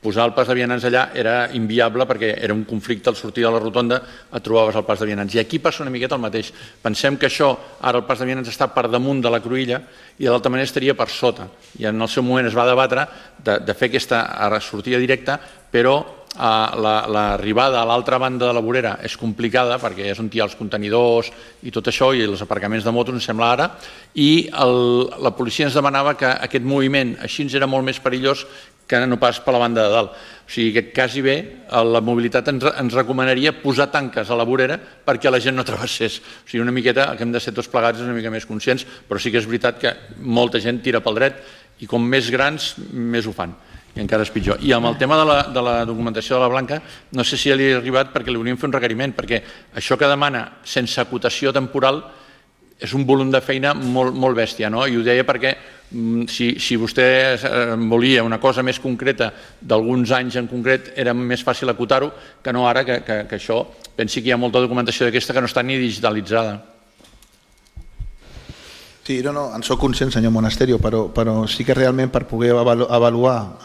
posar el pas de vianants allà era inviable perquè era un conflicte al sortir de la rotonda, et trobaves el pas de vianants. I aquí passa una miqueta el mateix. Pensem que això, ara el pas de vianants està per damunt de la cruïlla i de l'altra manera estaria per sota. I en el seu moment es va debatre de fer aquesta sortida directa, però l'arribada a l'altra banda de la vorera és complicada perquè és on hi ha els contenidors i tot això i els aparcaments de motos, ens sembla ara, i la policia ens demanava que aquest moviment així era molt més perillós que no pas per la banda de dalt. O sigui que quasi bé la mobilitat ens recomanaria posar tanques a la vorera perquè la gent no travessés. O sigui, una miqueta, que hem de ser tots plegats una mica més conscients, però sí que és veritat que molta gent tira pel dret i com més grans, més ho fan. i encara és pitjor. I amb el tema de la documentació de la Blanca, no sé si ja li ha arribat perquè li hauríem fet un requeriment, perquè això que demana sense acotació temporal és un volum de feina molt bèstia, no? I ho deia perquè si vostè volia una cosa més concreta d'alguns anys en concret, era més fàcil acotar-ho que no ara, que això, pensi que hi ha molta documentació d'aquesta que no està ni digitalitzada. Sí, no, en soc conscient, senyor Monasterio, però sí que realment per poder avaluar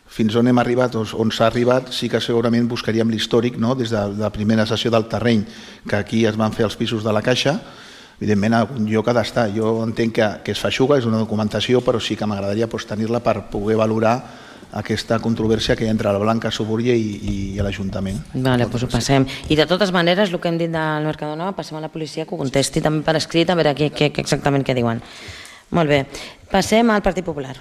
fins on hem arribat o on s'ha arribat, sí que segurament buscaríem l'històric, des de la primera sessió del terreny, que aquí es van fer els pisos de la Caixa. Evidentment, algun lloc ha d'estar. Jo entenc que es feixuga, és una documentació, però sí que m'agradaria tenir-la per poder valorar aquesta controvèrsia que hi ha entre la Blanca Suburbia i l'Ajuntament. Vale, doncs ho passem. I de totes maneres, el que hem dit del Mercadona, passem a la policia que ho contesti també per escrit, a veure exactament què diuen. Molt bé. Passem al Partit Popular.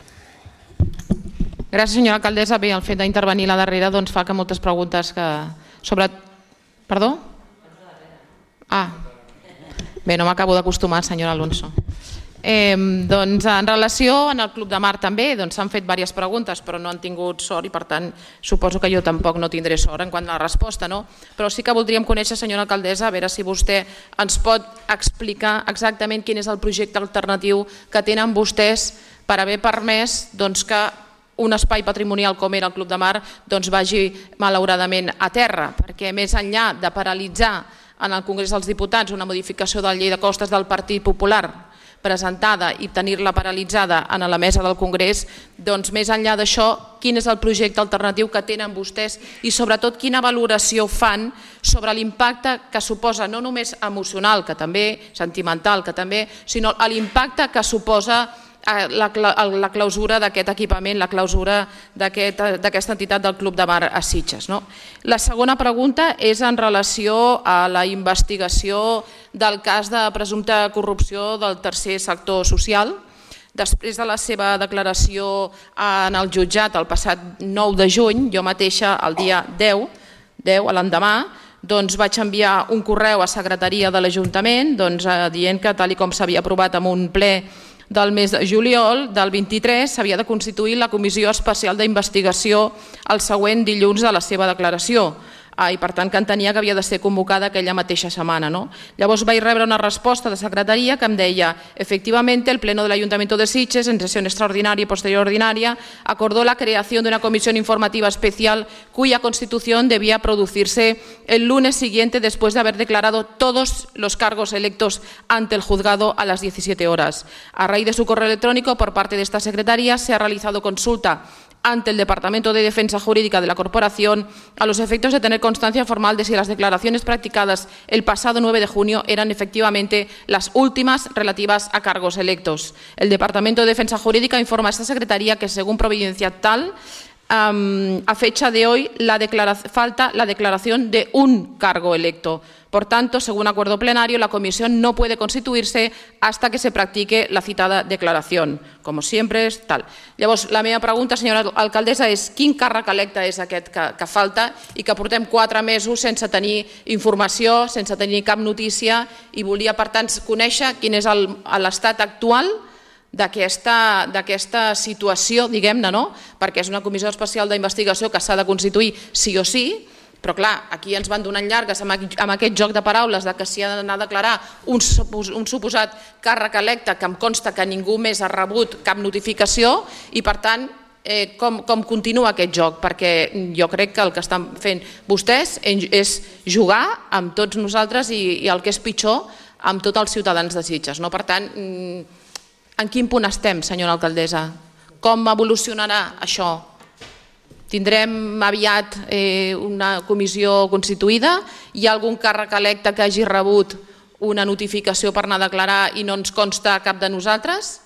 Gràcies, senyora alcaldessa. Bé, el fet d'intervenir a la darrera fa que moltes preguntes sobre... Perdó? Bé, no m'acabo d'acostumar, senyor Alonso. Doncs en relació amb el Club de Mar també s'han fet diverses preguntes però no han tingut sort i per tant suposo que jo tampoc no tindré sort en quant a la resposta, però sí que voldríem conèixer, senyora alcaldessa, a veure si vostè ens pot explicar exactament quin és el projecte alternatiu que tenen vostès per haver permès que un espai patrimonial com era el Club de Mar vagi malauradament a terra, perquè més enllà de paralitzar en el Congrés dels Diputats una modificació de la llei de costes del Partit Popular presentada i tenir-la paralitzada en la mesa del Congrés, més enllà d'això, quin és el projecte alternatiu que tenen vostès i sobretot quina valoració fan sobre l'impacte que suposa, no només emocional, que també, sentimental, que també, sinó l'impacte que suposa la clausura d'aquest equipament, la clausura d'aquesta entitat del Club de Mar a Sitges. La segona pregunta és en relació a la investigació del cas de presumpta corrupció del tercer sector social. Després de la seva declaració en el jutjat el passat 9 de juny, jo mateixa el dia 10, a l'endemà, vaig enviar un correu a secretaria de l'Ajuntament dient que tal com s'havia aprovat en un ple del mes de juliol del 23 s'havia de constituir la Comissió Especial d'Investigació el següent dilluns de la seva declaració i per tant que entenia que havia de ser convocada aquella mateixa setmana. Llavors vaig rebre una resposta de secretaria que em deia: efectivamente el Pleno del Ayuntamiento de Sitges en sesión extraordinaria y posterior ordinaria acordó la creación de una comisión informativa especial cuya constitución debía producirse el lunes siguiente después de haber declarado todos los cargos electos ante el juzgado a las 17 horas. A raíz de su correo electrónico por parte de esta secretaría se ha realizado consulta ante el Departamento de Defensa Jurídica de la Corporación a los efectos de tener constancia formal de si las declaraciones practicadas el pasado 9 de junio eran efectivamente las últimas relativas a cargos electos. El Departamento de Defensa Jurídica informa a esta Secretaría que, según providencia tal, a fecha de hoy falta la declaración de un cargo electo. Por tanto, según acuerdo plenario, la comisión no puede constituirse hasta que se practique la citada declaración. Como siempre és tal. Llavors, la meva pregunta, senyora alcaldessa, és quin càrrec electe és aquest que falta i que portem 4 mesos sense tenir informació, sense tenir cap notícia i volia, per tant, conèixer quin és l'estat actual d'aquesta situació, diguem-ne, perquè és una comissió especial d'investigació que s'ha de constituir sí o sí, però clar, aquí ens van donant llargues amb aquest joc de paraules que s'hi ha d'anar a declarar un suposat càrrec electe que em consta que ningú més ha rebut cap notificació i per tant com continua aquest joc, perquè jo crec que el que estan fent vostès és jugar amb tots nosaltres i el que és pitjor amb tots els ciutadans de Sitges. Per tant, en quin punt estem, senyora alcaldessa? Com evolucionarà això? Tindrem aviat una comissió constituïda? Hi ha algun càrrec electe que hagi rebut una notificació per anar a declarar i no ens consta cap de nosaltres?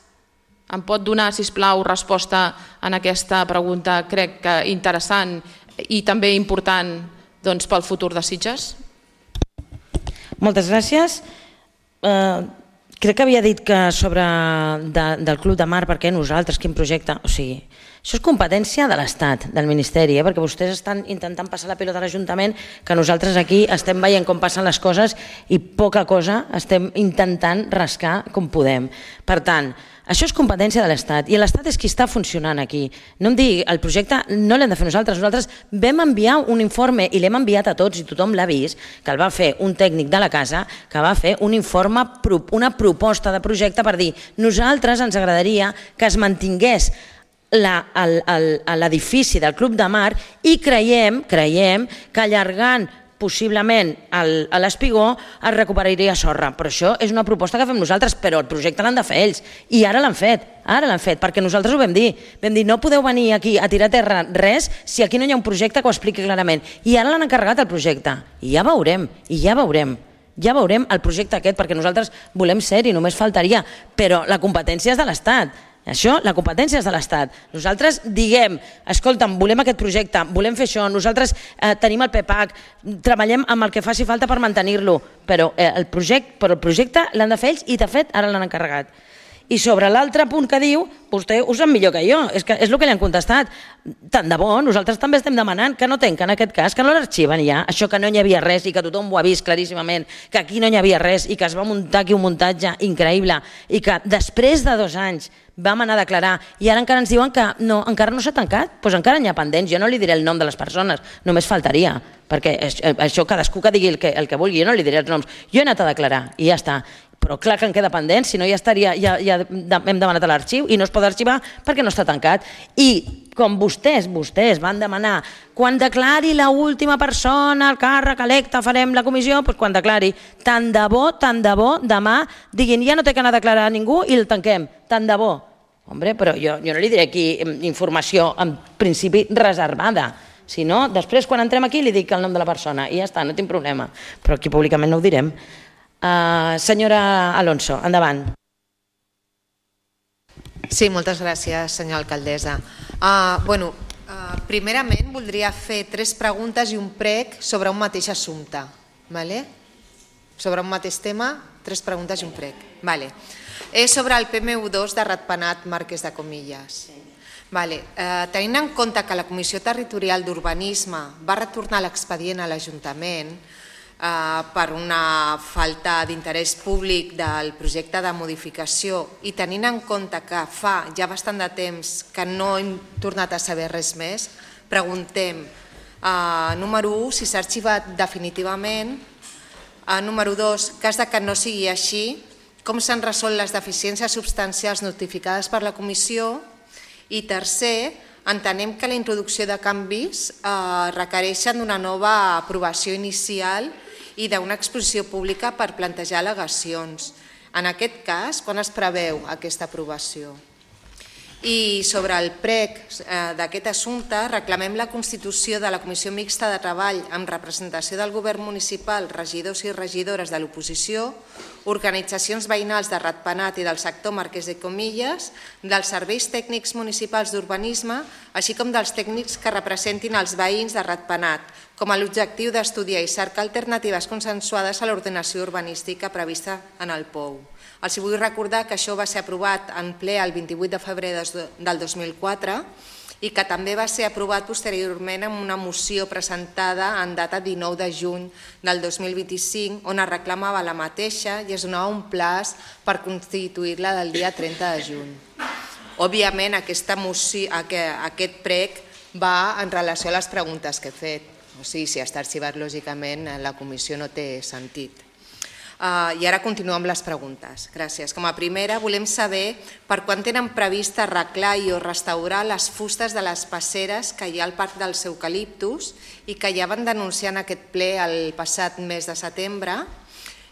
Em pot donar, sisplau, resposta en aquesta pregunta, crec que interessant i també important pel futur de Sitges? Moltes gràcies. Crec que havia dit que sobre del Club de Mar, per què nosaltres, quin projecte, o sigui, Això és competència de l'Estat, del Ministeri, perquè vostès estan intentant passar la pilota a l'Ajuntament, que nosaltres aquí estem veient com passen les coses i poca cosa estem intentant rascar com podem. Per tant, això és competència de l'Estat i l'Estat és qui està funcionant aquí. No em digui, el projecte no l'hem de fer nosaltres. Nosaltres vam enviar un informe i l'hem enviat a tots i tothom l'ha vist, que el va fer un tècnic de la casa, que va fer un informe, una proposta de projecte per dir nosaltres ens agradaria que es mantingués l'edifici del Club de Mar i creiem que allargant possiblement a l'Espigó es recuperaria sorra, però això és una proposta que fem nosaltres, però el projecte l'han de fer ells i ara l'han fet, perquè nosaltres ho vam dir, no podeu venir aquí a tirar a terra res si aquí no hi ha un projecte que ho expliqui clarament i ara l'han encarregat el projecte i ja veurem el projecte aquest, perquè nosaltres volem ser i només faltaria, però la competència és de l'Estat. Això, la competència és de l'Estat. Nosaltres diguem, escolta'm, volem aquest projecte, volem fer això, nosaltres tenim el PPAC, treballem amb el que faci falta per mantenir-lo, però el projecte l'han de fer ells i de fet ara l'han encarregat. I sobre l'altre punt que diu, vostè ho sap millor que jo, és el que li han contestat. Tant de bo, nosaltres també estem demanant que no tanquen aquest cas, que no l'arxiven ja, això que no hi havia res i que tothom ho ha vist claríssimament, que aquí no hi havia res i que es va muntar aquí un muntatge increïble i que després de 2 anys vam anar a declarar i ara encara ens diuen que no, encara no s'ha tancat, doncs encara n'hi ha pendents, jo no li diré el nom de les persones, només faltaria, perquè això cadascú que digui el que vulgui, jo no li diré els noms, jo he anat a declarar i ja està. Però clar que en queda pendent, si no ja estaria, ja hem demanat a l'arxiu i no es pot arxivar perquè no està tancat. I com vostès van demanar, quan declari l'última persona el càrrec electe farem la comissió, doncs quan declari, tant de bo, demà diguin ja no té que anar a declarar a ningú i el tanquem, tant de bo. Hombre, però jo no li diré aquí informació en principi reservada, si no, després quan entrem aquí li dic el nom de la persona i ja està, no tinc problema, però aquí públicament no ho direm. Senyora Alonso, endavant. Sí, moltes gràcies, senyora alcaldessa. Primerament, voldria fer 3 preguntes i un prec sobre un mateix assumpte. Sobre un mateix tema, 3 preguntes i un prec. És sobre el PMU2 de Ratpenat, Marquès de Comillas. Tenint en compte que la Comissió Territorial d'Urbanisme va retornar l'expedient a l'Ajuntament per una falta d'interès públic del projecte de modificació i tenint en compte que fa ja bastant de temps que no hem tornat a saber res més, preguntem, número 1, si s'ha arxivat definitivament, número 2, cas que no sigui així, com s'han resolt les deficiències substancials notificades per la comissió i tercer, entenem que la introducció de canvis requereixen d'una nova aprovació inicial i d'una exposició pública per plantejar al·legacions. En aquest cas, quan es preveu aquesta aprovació? I sobre el prec d'aquest assumpte, reclamem la constitució de la Comissió Mixta de Treball amb representació del Govern Municipal, regidors i regidores de l'oposició, organitzacions veïnals de Ratpenat i del sector Marquès de Comillas, dels serveis tècnics municipals d'urbanisme, així com dels tècnics que representin els veïns de Ratpenat, com a l'objectiu d'estudiar i cercar alternatives consensuades a l'ordenació urbanística prevista en el POU. Els vull recordar que això va ser aprovat en ple el 28 de febrer del 2004 i que també va ser aprovat posteriorment amb una moció presentada en data 19 de juny del 2025 on es reclamava la mateixa i es donava un plaç per constituir-la del dia 30 de juny. Òbviament aquest prec va en relació a les preguntes que he fet. O sigui, si està arxivat lògicament la comissió no té sentit. I ara continuo amb les preguntes. Gràcies. Com a primera, volem saber per quan tenen previst arreglar i o restaurar les fustes de les passeres que hi ha al Parc dels Eucaliptus i que ja van denunciar en aquest ple el passat mes de setembre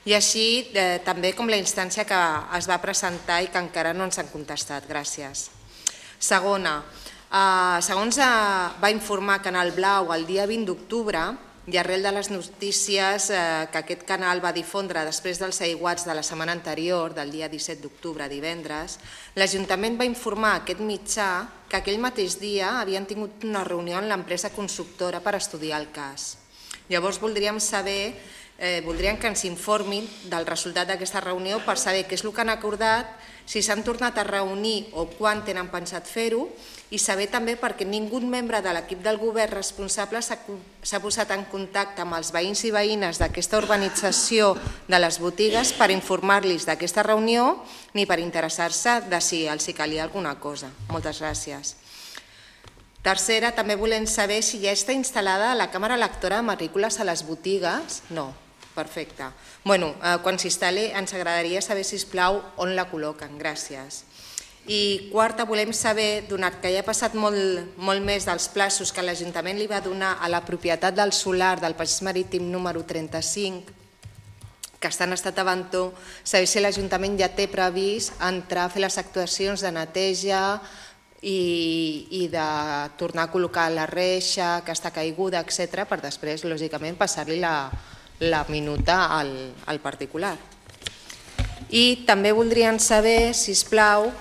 i així també com la instància que es va presentar i que encara no ens han contestat. Gràcies. Segona, segons va informar Canal Blau el dia 20 d'octubre, i arrel de les notícies que aquest canal va difondre després dels aiguats de la setmana anterior, del dia 17 d'octubre, divendres, l'Ajuntament va informar a aquest mitjà que aquell mateix dia havien tingut una reunió amb l'empresa constructora per estudiar el cas. Llavors voldríem saber voldríem que ens informin del resultat d'aquesta reunió per saber què és el que han acordat, si s'han tornat a reunir o quan tenen pensat fer-ho, i saber també perquè ningú membre de l'equip del govern responsable s'ha posat en contacte amb els veïns i veïnes d'aquesta urbanització de les botigues per informar-los d'aquesta reunió ni per interessar-se de si els calia alguna cosa. Moltes gràcies. Tercera, també volem saber si ja està instal·lada la càmera lectora de matrícules a les botigues. No, perfecte. Bueno, quan s'instal·li ens agradaria saber, sisplau, on la col·loquen. Gràcies. I quarta, volem saber, donat que ja ha passat molt més dels plaços que l'Ajuntament li va donar a la propietat del solar del Passeig Marítim número 35, que està en estat d'abandó, saber si l'Ajuntament ja té previst entrar a fer les actuacions de neteja i de tornar a col·locar la reixa que està caiguda, etc., per després, lògicament, passar-li la minuta al particular. I també voldrien saber, sisplau,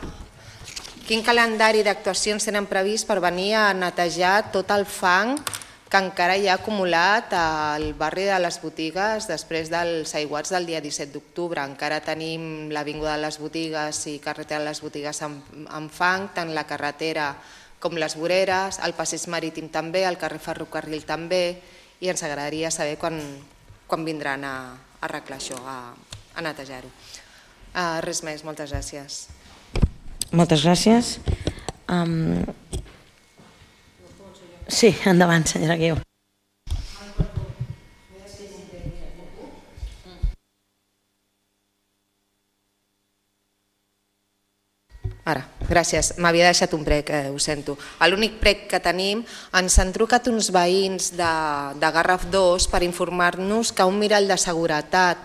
quin calendari d'actuacions tenen previst per venir a netejar tot el fang que encara hi ha acumulat al barri de les botigues després dels aiguats del dia 17 d'octubre. Encara tenim l'Avinguda de les Botigues i carretera de les Botigues amb fang, tant la carretera com les voreres, el passeig marítim també, el carrer Ferrocarril també, i ens agradaria saber quan vindran a arreglar això, a netejar-ho. Res més, moltes gràcies. Moltes gràcies. Sí, endavant, senyora Guiu. Ara, gràcies. M'havia deixat un prec, ho sento. L'únic prec que tenim, ens han trucat uns veïns de Garraf 2 per informar-nos que un mirall de seguretat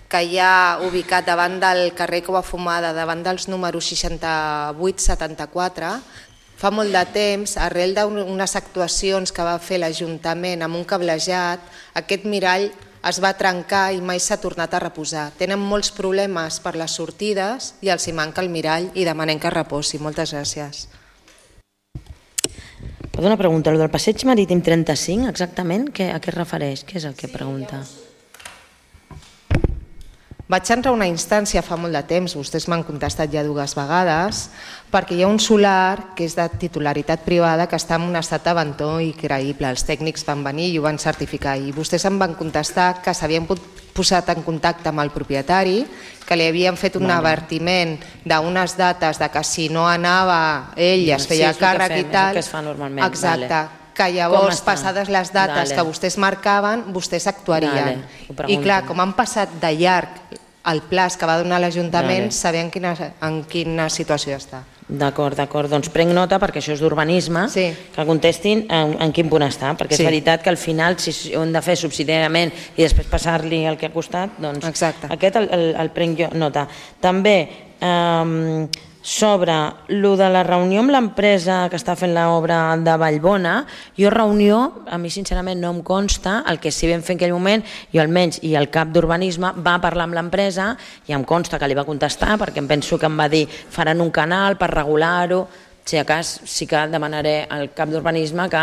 que hi ha ubicat davant del carrer Cova Fumada, davant dels números 68-74, fa molt de temps, arrel d'unes actuacions que va fer l'Ajuntament amb un cablejat, aquest mirall es va trencar i mai s'ha tornat a reposar. Tenen molts problemes per les sortides i els hi manca el mirall i demanem que reposi. Moltes gràcies. Una pregunta, el del passeig marítim 35, exactament, a què es refereix? Què és el que pregunta? Vaig entrar a una instància fa molt de temps, vostès m'han contestat ja 2 vegades, perquè hi ha un solar que és de titularitat privada que està en un estat d'abandó increïble. Els tècnics van venir i ho van certificar i vostès em van contestar que s'havien posat en contacte amb el propietari, que li havien fet un avertiment d'unes dates de que si no anava ell es feia càrrec i tal. És el que es fa normalment. Exacte. Que llavors, passades les dates que vostès marcaven, vostès actuarien. I clar, com han passat de llarg el plaç que va donar l'Ajuntament, sabem en quina situació està. D'acord, doncs prenc nota perquè això és d'urbanisme, que contestin en quin punt està, perquè és veritat que al final si ho hem de fer subsidiàriament i després passar-li el que ha costat, doncs aquest el prenc jo nota. També sobre el de la reunió amb l'empresa que està fent l'obra de Vallbona, jo reunió, a mi sincerament no em consta, el que sí vam fer en aquell moment, jo almenys i el cap d'urbanisme va parlar amb l'empresa i em consta que li va contestar perquè em penso que em va dir faran un canal per regular-ho, si a cas sí que demanaré al cap d'urbanisme que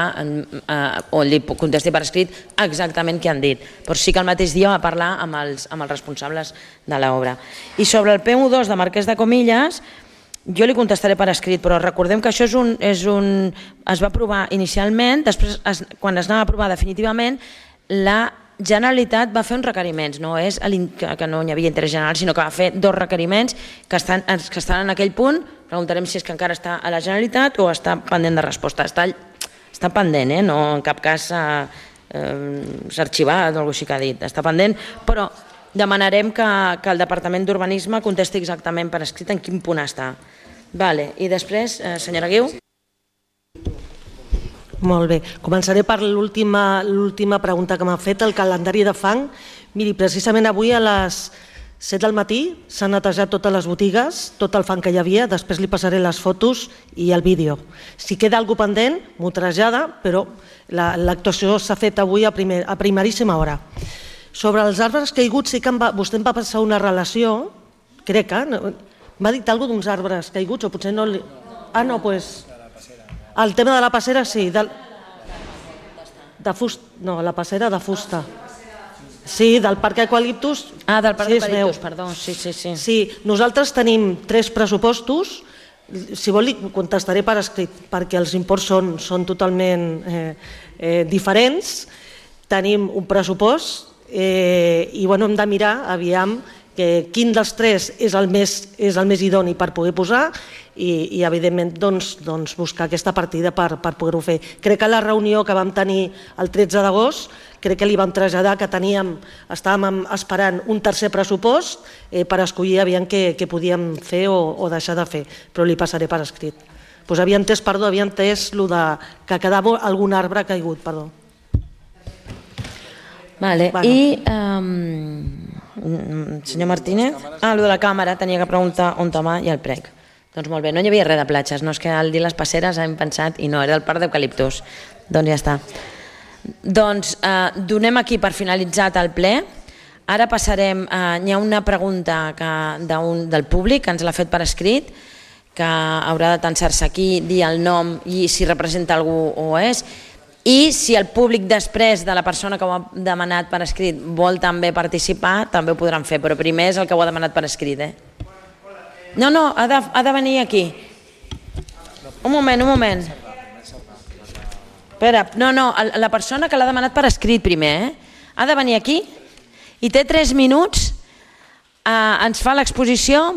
o li contesti per escrit exactament què han dit, però sí que el mateix dia va parlar amb els responsables de l'obra. I sobre el PU2 de Marquès de Comillas, jo li contestaré per escrit, però recordem que això es va aprovar inicialment, després quan es anava a aprovar definitivament, la Generalitat va fer uns requeriments, no és que no hi havia interès general, sinó que va fer 2 requeriments que estan en aquell punt, preguntarem si és que encara està a la Generalitat o està pendent de resposta. Està pendent, no en cap cas s'ha arxivat o alguna cosa així que ha dit, està pendent, però demanarem que el Departament d'Urbanisme contesti exactament per escrit en quin punt està. I després, senyora Guiu. Molt bé. Començaré per l'última pregunta que m'ha fet, el calendari de fang. Miri, precisament avui a les 7 del matí s'han netejat totes les botigues, tot el fang que hi havia, després li passaré les fotos i el vídeo. Si queda alguna cosa pendent, m'ho trasllada, però l'actuació s'ha fet avui a primeríssima hora. Sobre els arbres caiguts, sí que vostè em va passar una relació, crec que m'ha dit alguna cosa d'uns arbres caiguts, o potser no... Ah, no, doncs... El tema de la passera, sí. De fusta. No, la passera de fusta. Sí, del Parc Eucaliptus. Del Parc sí, Eucaliptus, perdó. Sí. Sí, nosaltres tenim 3 pressupostos. Si vol, li contestaré per escrit, perquè els imports són totalment diferents. Tenim un pressupost i hem de mirar, aviam, quin dels 3 és el més idoni per poder posar i evidentment buscar aquesta partida per poder-ho fer. Crec que a la reunió que vam tenir el 13 d'agost crec que li vam traslladar que estàvem esperant un tercer pressupost per escollir aviam què podíem fer o deixar de fer, però li passaré per escrit. Havia entès que quedava algun arbre caigut, perdó. I senyor Martínez, el de la càmera, tenia que preguntar on va i el prec. Doncs molt bé, no hi havia res de platges, no és que al dir les passeres hem pensat i no, era el Parc d'Eucaliptus. Doncs ja està. Doncs donem aquí per finalitzat el ple. Ara passarem, hi ha una pregunta del públic que ens l'ha fet per escrit, que haurà de tensar-se aquí, dir el nom i si representa algú o és. I si el públic després de la persona que ho ha demanat per escrit vol també participar, també ho podran fer, però primer és el que ho ha demanat per escrit. No, ha de venir aquí. Un moment. Espera, la persona que l'ha demanat per escrit primer, ha de venir aquí i té 3 minuts, ens fa l'exposició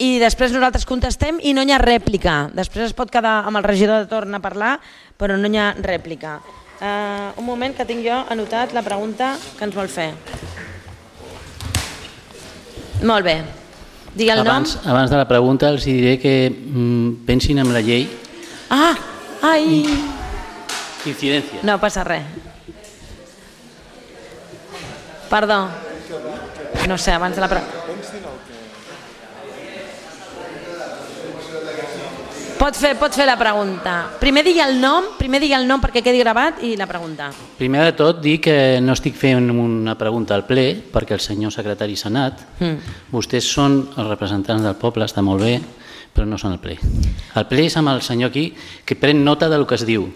i després nosaltres contestem i no hi ha rèplica. Després es pot quedar amb el regidor de torn a parlar, però no hi ha rèplica. Un moment que tinc jo anotat la pregunta que ens vol fer. Molt bé. Digui el nom. Abans de la pregunta els diré que pensin en la llei. Incidència. No passa res. Perdó. No sé, abans de la pregunta. Pot fer la pregunta. Primer digui el nom perquè quedi gravat i la pregunta. Primer de tot dir que no estic fent una pregunta al ple perquè el senyor secretari s'ha anat. Vostès són els representants del poble, està molt bé, però no són el ple. El ple és amb el senyor aquí que pren nota del que es diu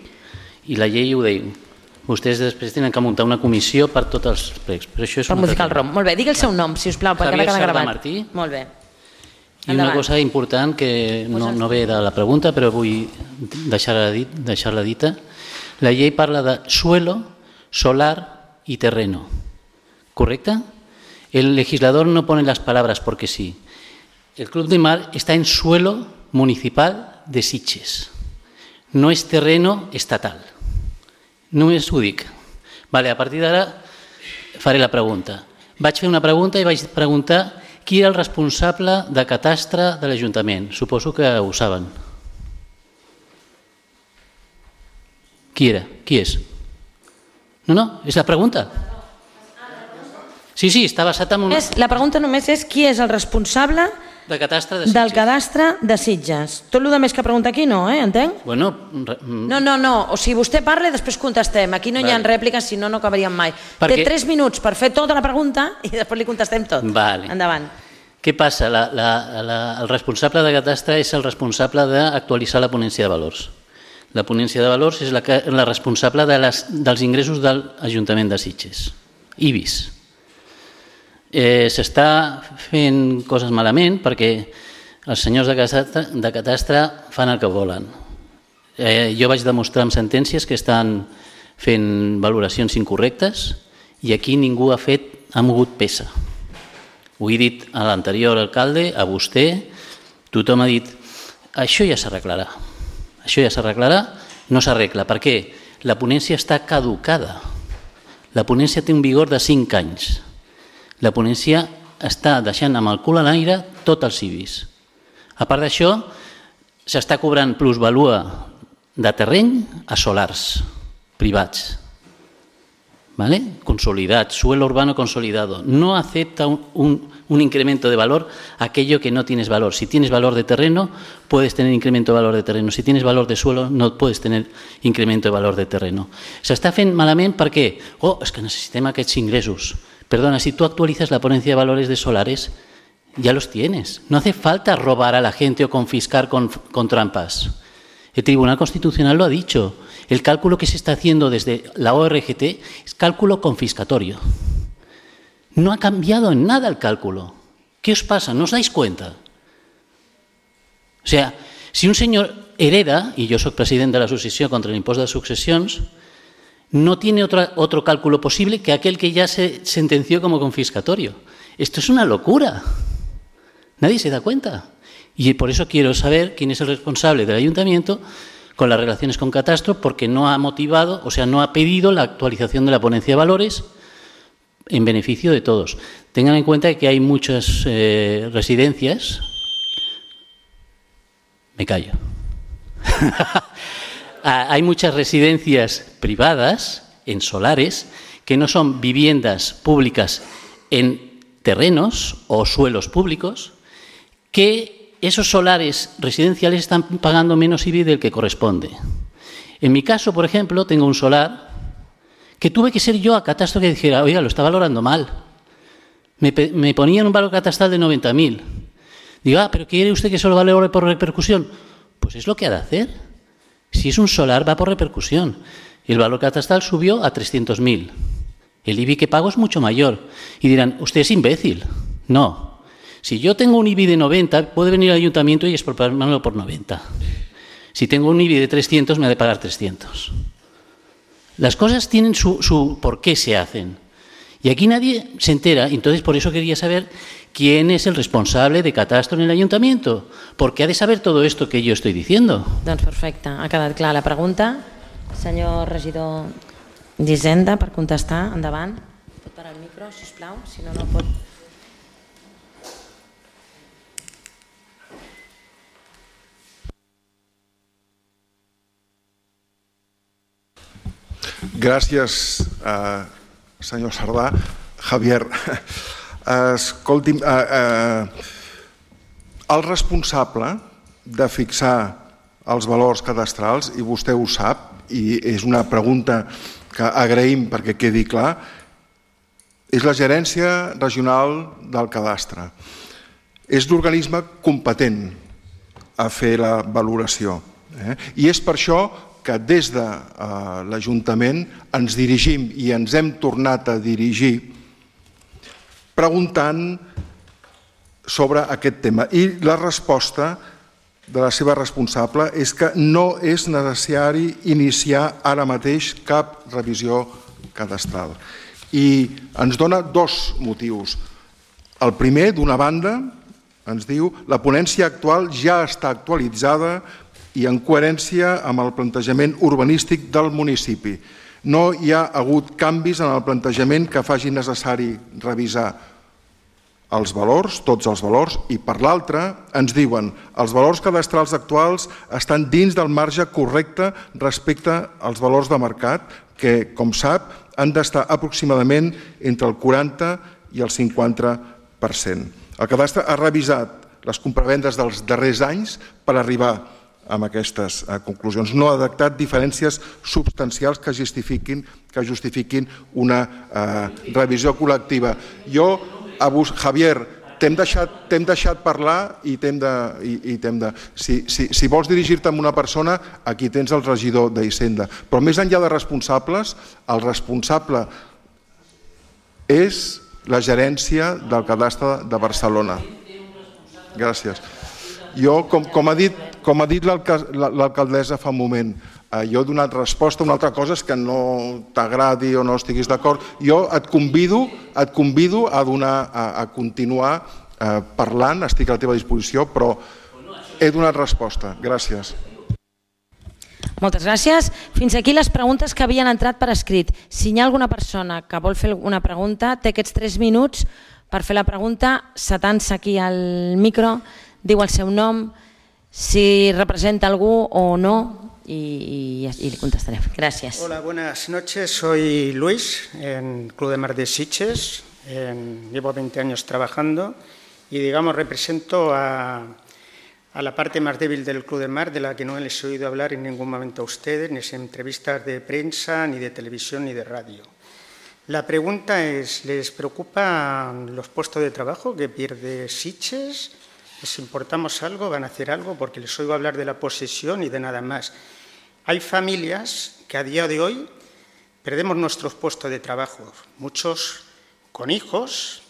i la llei ho diu. Vostès després tenen que muntar una comissió per tots els plecs. Per modificar el ROM. Molt bé, digui el seu nom, si us plau, perquè ara queda gravat. Martí. Molt bé. I una cosa important que no ve de la pregunta, però vull deixar-la dita. La llei parla de suelo, solar y terreno. ¿Correcta? El legislador no pone las palabras porque sí. El Club de Mar está en suelo municipal de Sitges. No és terreno estatal. Només ho dic. Vale, a partir d'ara faré la pregunta. Vaig fer una pregunta i vaig preguntar qui era el responsable de catastre de l'Ajuntament. Suposo que ho saben. Qui era? Qui és? No, és la pregunta. Sí, està basat en... La pregunta només és qui és el responsable del cadastre de Sitges. Tot el més que pregunta aquí no, entenc? No, o sigui, vostè parla i després contestem. Aquí no hi ha rèpliques, si no, no acabaríem mai. Té 3 minuts per fer tota la pregunta i després li contestem tot. Endavant. Què passa? El responsable de catastre és el responsable d'actualitzar la ponència de valors. La ponència de valors és la responsable dels ingressos de l'Ajuntament de Sitges. IBIS. S'està fent coses malament perquè els senyors de catastre fan el que volen. Jo vaig demostrar amb sentències que estan fent valoracions incorrectes i aquí ningú ha mogut peça. Ho he dit a l'anterior alcalde, a vostè, tothom ha dit això ja s'arreglarà. Això ja s'arreglarà, no s'arregla. Per què? La ponència està caducada. La ponència té un vigor de 5 anys. La ponència està deixant amb el cul a l'aire tot els civis. A part d'això, s'està cobrant plusvalua de terreny a solars privats. Consolidado, suelo urbano consolidado. No acepta un incremento de valor aquello que no tienes valor. Si tienes valor de terreno, puedes tener incremento de valor de terreno. Si tienes valor de suelo, no puedes tener incremento de valor de terreno. S'està fent malament perquè, és que necessitem aquests ingressos. Perdona, si tú actualizas la ponencia de valores de solares, ya los tienes. No hace falta robar a la gente o confiscar con trampas. El Tribunal Constitucional lo ha dicho. El cálculo que se está haciendo desde la ORGT es cálculo confiscatorio. No ha cambiado en nada el cálculo. ¿Qué os pasa? ¿No os dais cuenta? O sea, si un señor hereda, y yo soy presidente de la sucesión contra el impuesto de sucesiones, no tiene otro cálculo posible que aquel que ya se sentenció como confiscatorio. Esto es una locura. Nadie se da cuenta. Y por eso quiero saber quién es el responsable del ayuntamiento con las relaciones con Catastro, porque no ha motivado, o sea, no ha pedido la actualización de la ponencia de valores en beneficio de todos. Tengan en cuenta que hay muchas residencias. Me callo. Hay muchas residencias privadas en solares que no son viviendas públicas en terrenos o suelos públicos, que esos solares residenciales están pagando menos IBI del que corresponde. En mi caso, por ejemplo, tengo un solar que tuve que ser yo a Catastro que dijera, oiga, lo está valorando mal. Me ponían un valor catastral de 90.000. Digo, pero ¿quiere usted que solo valore por repercusión? Pues es lo que ha de hacer. Si es un solar, va por repercusión. Y el valor catastral subió a 300.000. El IBI que pago es mucho mayor. Y dirán, usted es imbécil. No. Si yo tengo un IBI de 90, puede venir al ayuntamiento y expropiármelo por 90. Si tengo un IBI de 300, me ha de pagar 300. Las cosas tienen su por qué se hacen. Y aquí nadie se entera. Entonces, por eso quería saber quién es el responsable de Catastro en el ayuntamiento. Porque ha de saber todo esto que yo estoy diciendo. Doncs perfecte, ha quedat clara la pregunta. Senyor regidor d'Hisenda, per contestar, endavant. Pot parar el micro, sisplau, si no, no pot... Gràcies, senyor Sardà. Javier, escolti'm, el responsable de fixar els valors cadastrals, i vostè ho sap, i és una pregunta que agraïm perquè quedi clar, és la Gerència Regional del Cadastre. És l'organisme competent a fer la valoració. I és per això que des de l'Ajuntament ens dirigim i ens hem tornat a dirigir preguntant sobre aquest tema. I la resposta de la seva responsable és que no és necessari iniciar ara mateix cap revisió cadastral. I ens dona dos motius. El primer, d'una banda, ens diu la ponència actual ja està actualitzada i en coherència amb el plantejament urbanístic del municipi. No hi ha hagut canvis en el plantejament que faci necessari revisar els valors, tots els valors, i per l'altra ens diuen els valors cadastrals actuals estan dins del marge correcte respecte als valors de mercat que, com sap, han d'estar aproximadament entre el 40 i el 50%. El cadastre ha revisat les compravendes dels darrers anys per arribar amb aquestes conclusions. No ha detectat diferències substancials que justifiquin una revisió col·lectiva. Javier, t'hem deixat parlar i si vols dirigir-te a una persona, aquí tens el regidor d'Hisenda. Però més enllà de responsables, el responsable és la gerència del cadastre de Barcelona. Gràcies. Jo, com ha dit l'alcaldessa fa un moment, jo he donat resposta a una altra cosa, és que no t'agradi o no estiguis d'acord. Jo et convido a continuar parlant, estic a la teva disposició, però he donat resposta. Gràcies. Moltes gràcies. Fins aquí les preguntes que havien entrat per escrit. Si hi ha alguna persona que vol fer una pregunta, té aquests 3 minuts per fer la pregunta, s'atansa aquí al micro, diu el seu nom, si representa algú o no, y le contestaré. Gracias. Hola, buenas noches. Soy Luis, en Club de Mar de Sitges. Llevo 20 años trabajando y, digamos, represento a la parte más débil del Club de Mar, de la que no les he oído hablar en ningún momento a ustedes, ni en entrevistas de prensa, ni de televisión, ni de radio. La pregunta es, ¿les preocupan los puestos de trabajo que pierde Sitges? ¿Les importamos algo? ¿Van a hacer algo? Porque les oigo hablar de la posesión y de nada más. Hay familias que a día de hoy perdemos nuestros puestos de trabajo. Muchos con hijos,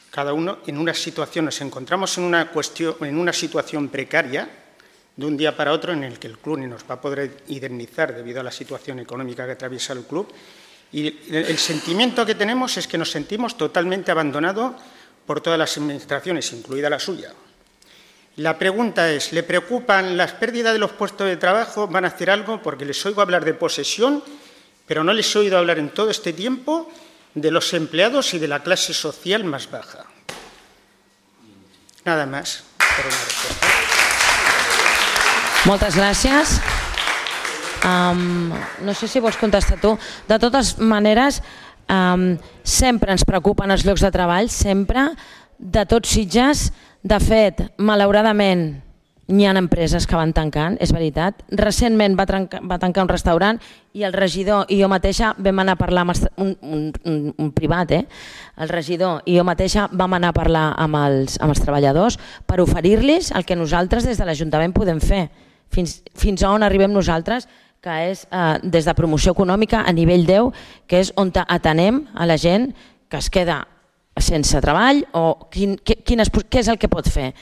cada uno en una situación, nos encontramos en una situación precaria de un día para otro en el que el club ni nos va a poder indemnizar debido a la situación económica que atraviesa el club. Y el sentimiento que tenemos es que nos sentimos totalmente abandonados por todas las administraciones, incluida la suya. La pregunta es, ¿le preocupan las pérdidas de los puestos de trabajo? ¿Van a hacer algo? Porque les oigo hablar de posesión, pero no les he oído hablar en todo este tiempo de los empleados y de la clase social más baja. Nada más. Per una respuesta. Moltes gràcies. No sé si vols contestar tu. De totes maneres, sempre ens preocupen els llocs de treball, sempre, de tots Sitges. De fet, malauradament, n'hi ha empreses que van tancant, és veritat. Recentment va tancar un restaurant i el regidor i jo mateixa vam anar a parlar amb un privat, el regidor i jo mateixa vam anar a parlar amb els treballadors per oferir-los el que nosaltres des de l'Ajuntament podem fer. Fins a on arribem nosaltres, que és des de promoció econòmica a nivell 10, que és on atenem a la gent que es queda sense treball o què és el que pot fer.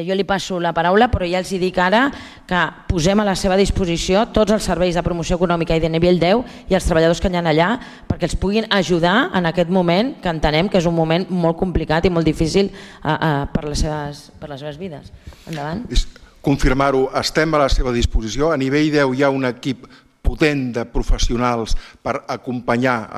Jo li passo la paraula, però ja els dic ara que posem a la seva disposició tots els serveis de promoció econòmica i de nivell 10 i els treballadors que hi ha allà perquè els puguin ajudar en aquest moment, que entenem que és un moment molt complicat i molt difícil per les seves vides. Endavant. Confirmar-ho, estem a la seva disposició. A nivell 10 hi ha un equip potent de professionals per acompanyar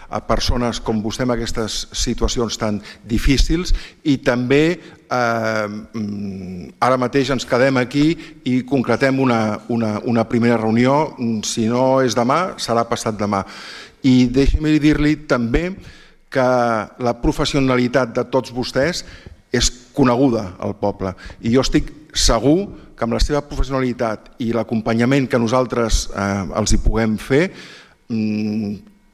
a persones com vostè en aquestes situacions tan difícils i també ara mateix ens quedem aquí i concretem una primera reunió, si no és demà, serà passat demà. I deixi'm dir-li també que la professionalitat de tots vostès és coneguda al poble i jo estic segur que amb la seva professionalitat i l'acompanyament que nosaltres els hi puguem fer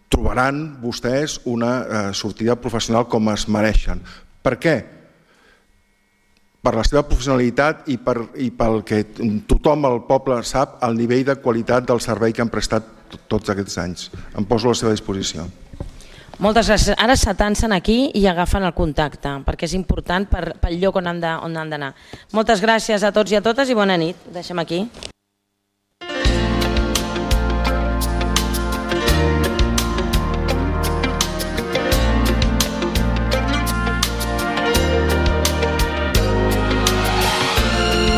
trobaran vostès una sortida professional com es mereixen. Per què? Per la seva professionalitat i pel que tothom al poble sap el nivell de qualitat del servei que han prestat tots aquests anys. Em poso a la seva disposició. Moltes gràcies. Ara s'atancen aquí i agafen el contacte, perquè és important pel lloc on han d'anar. Moltes gràcies a tots i a totes i bona nit. Deixem aquí.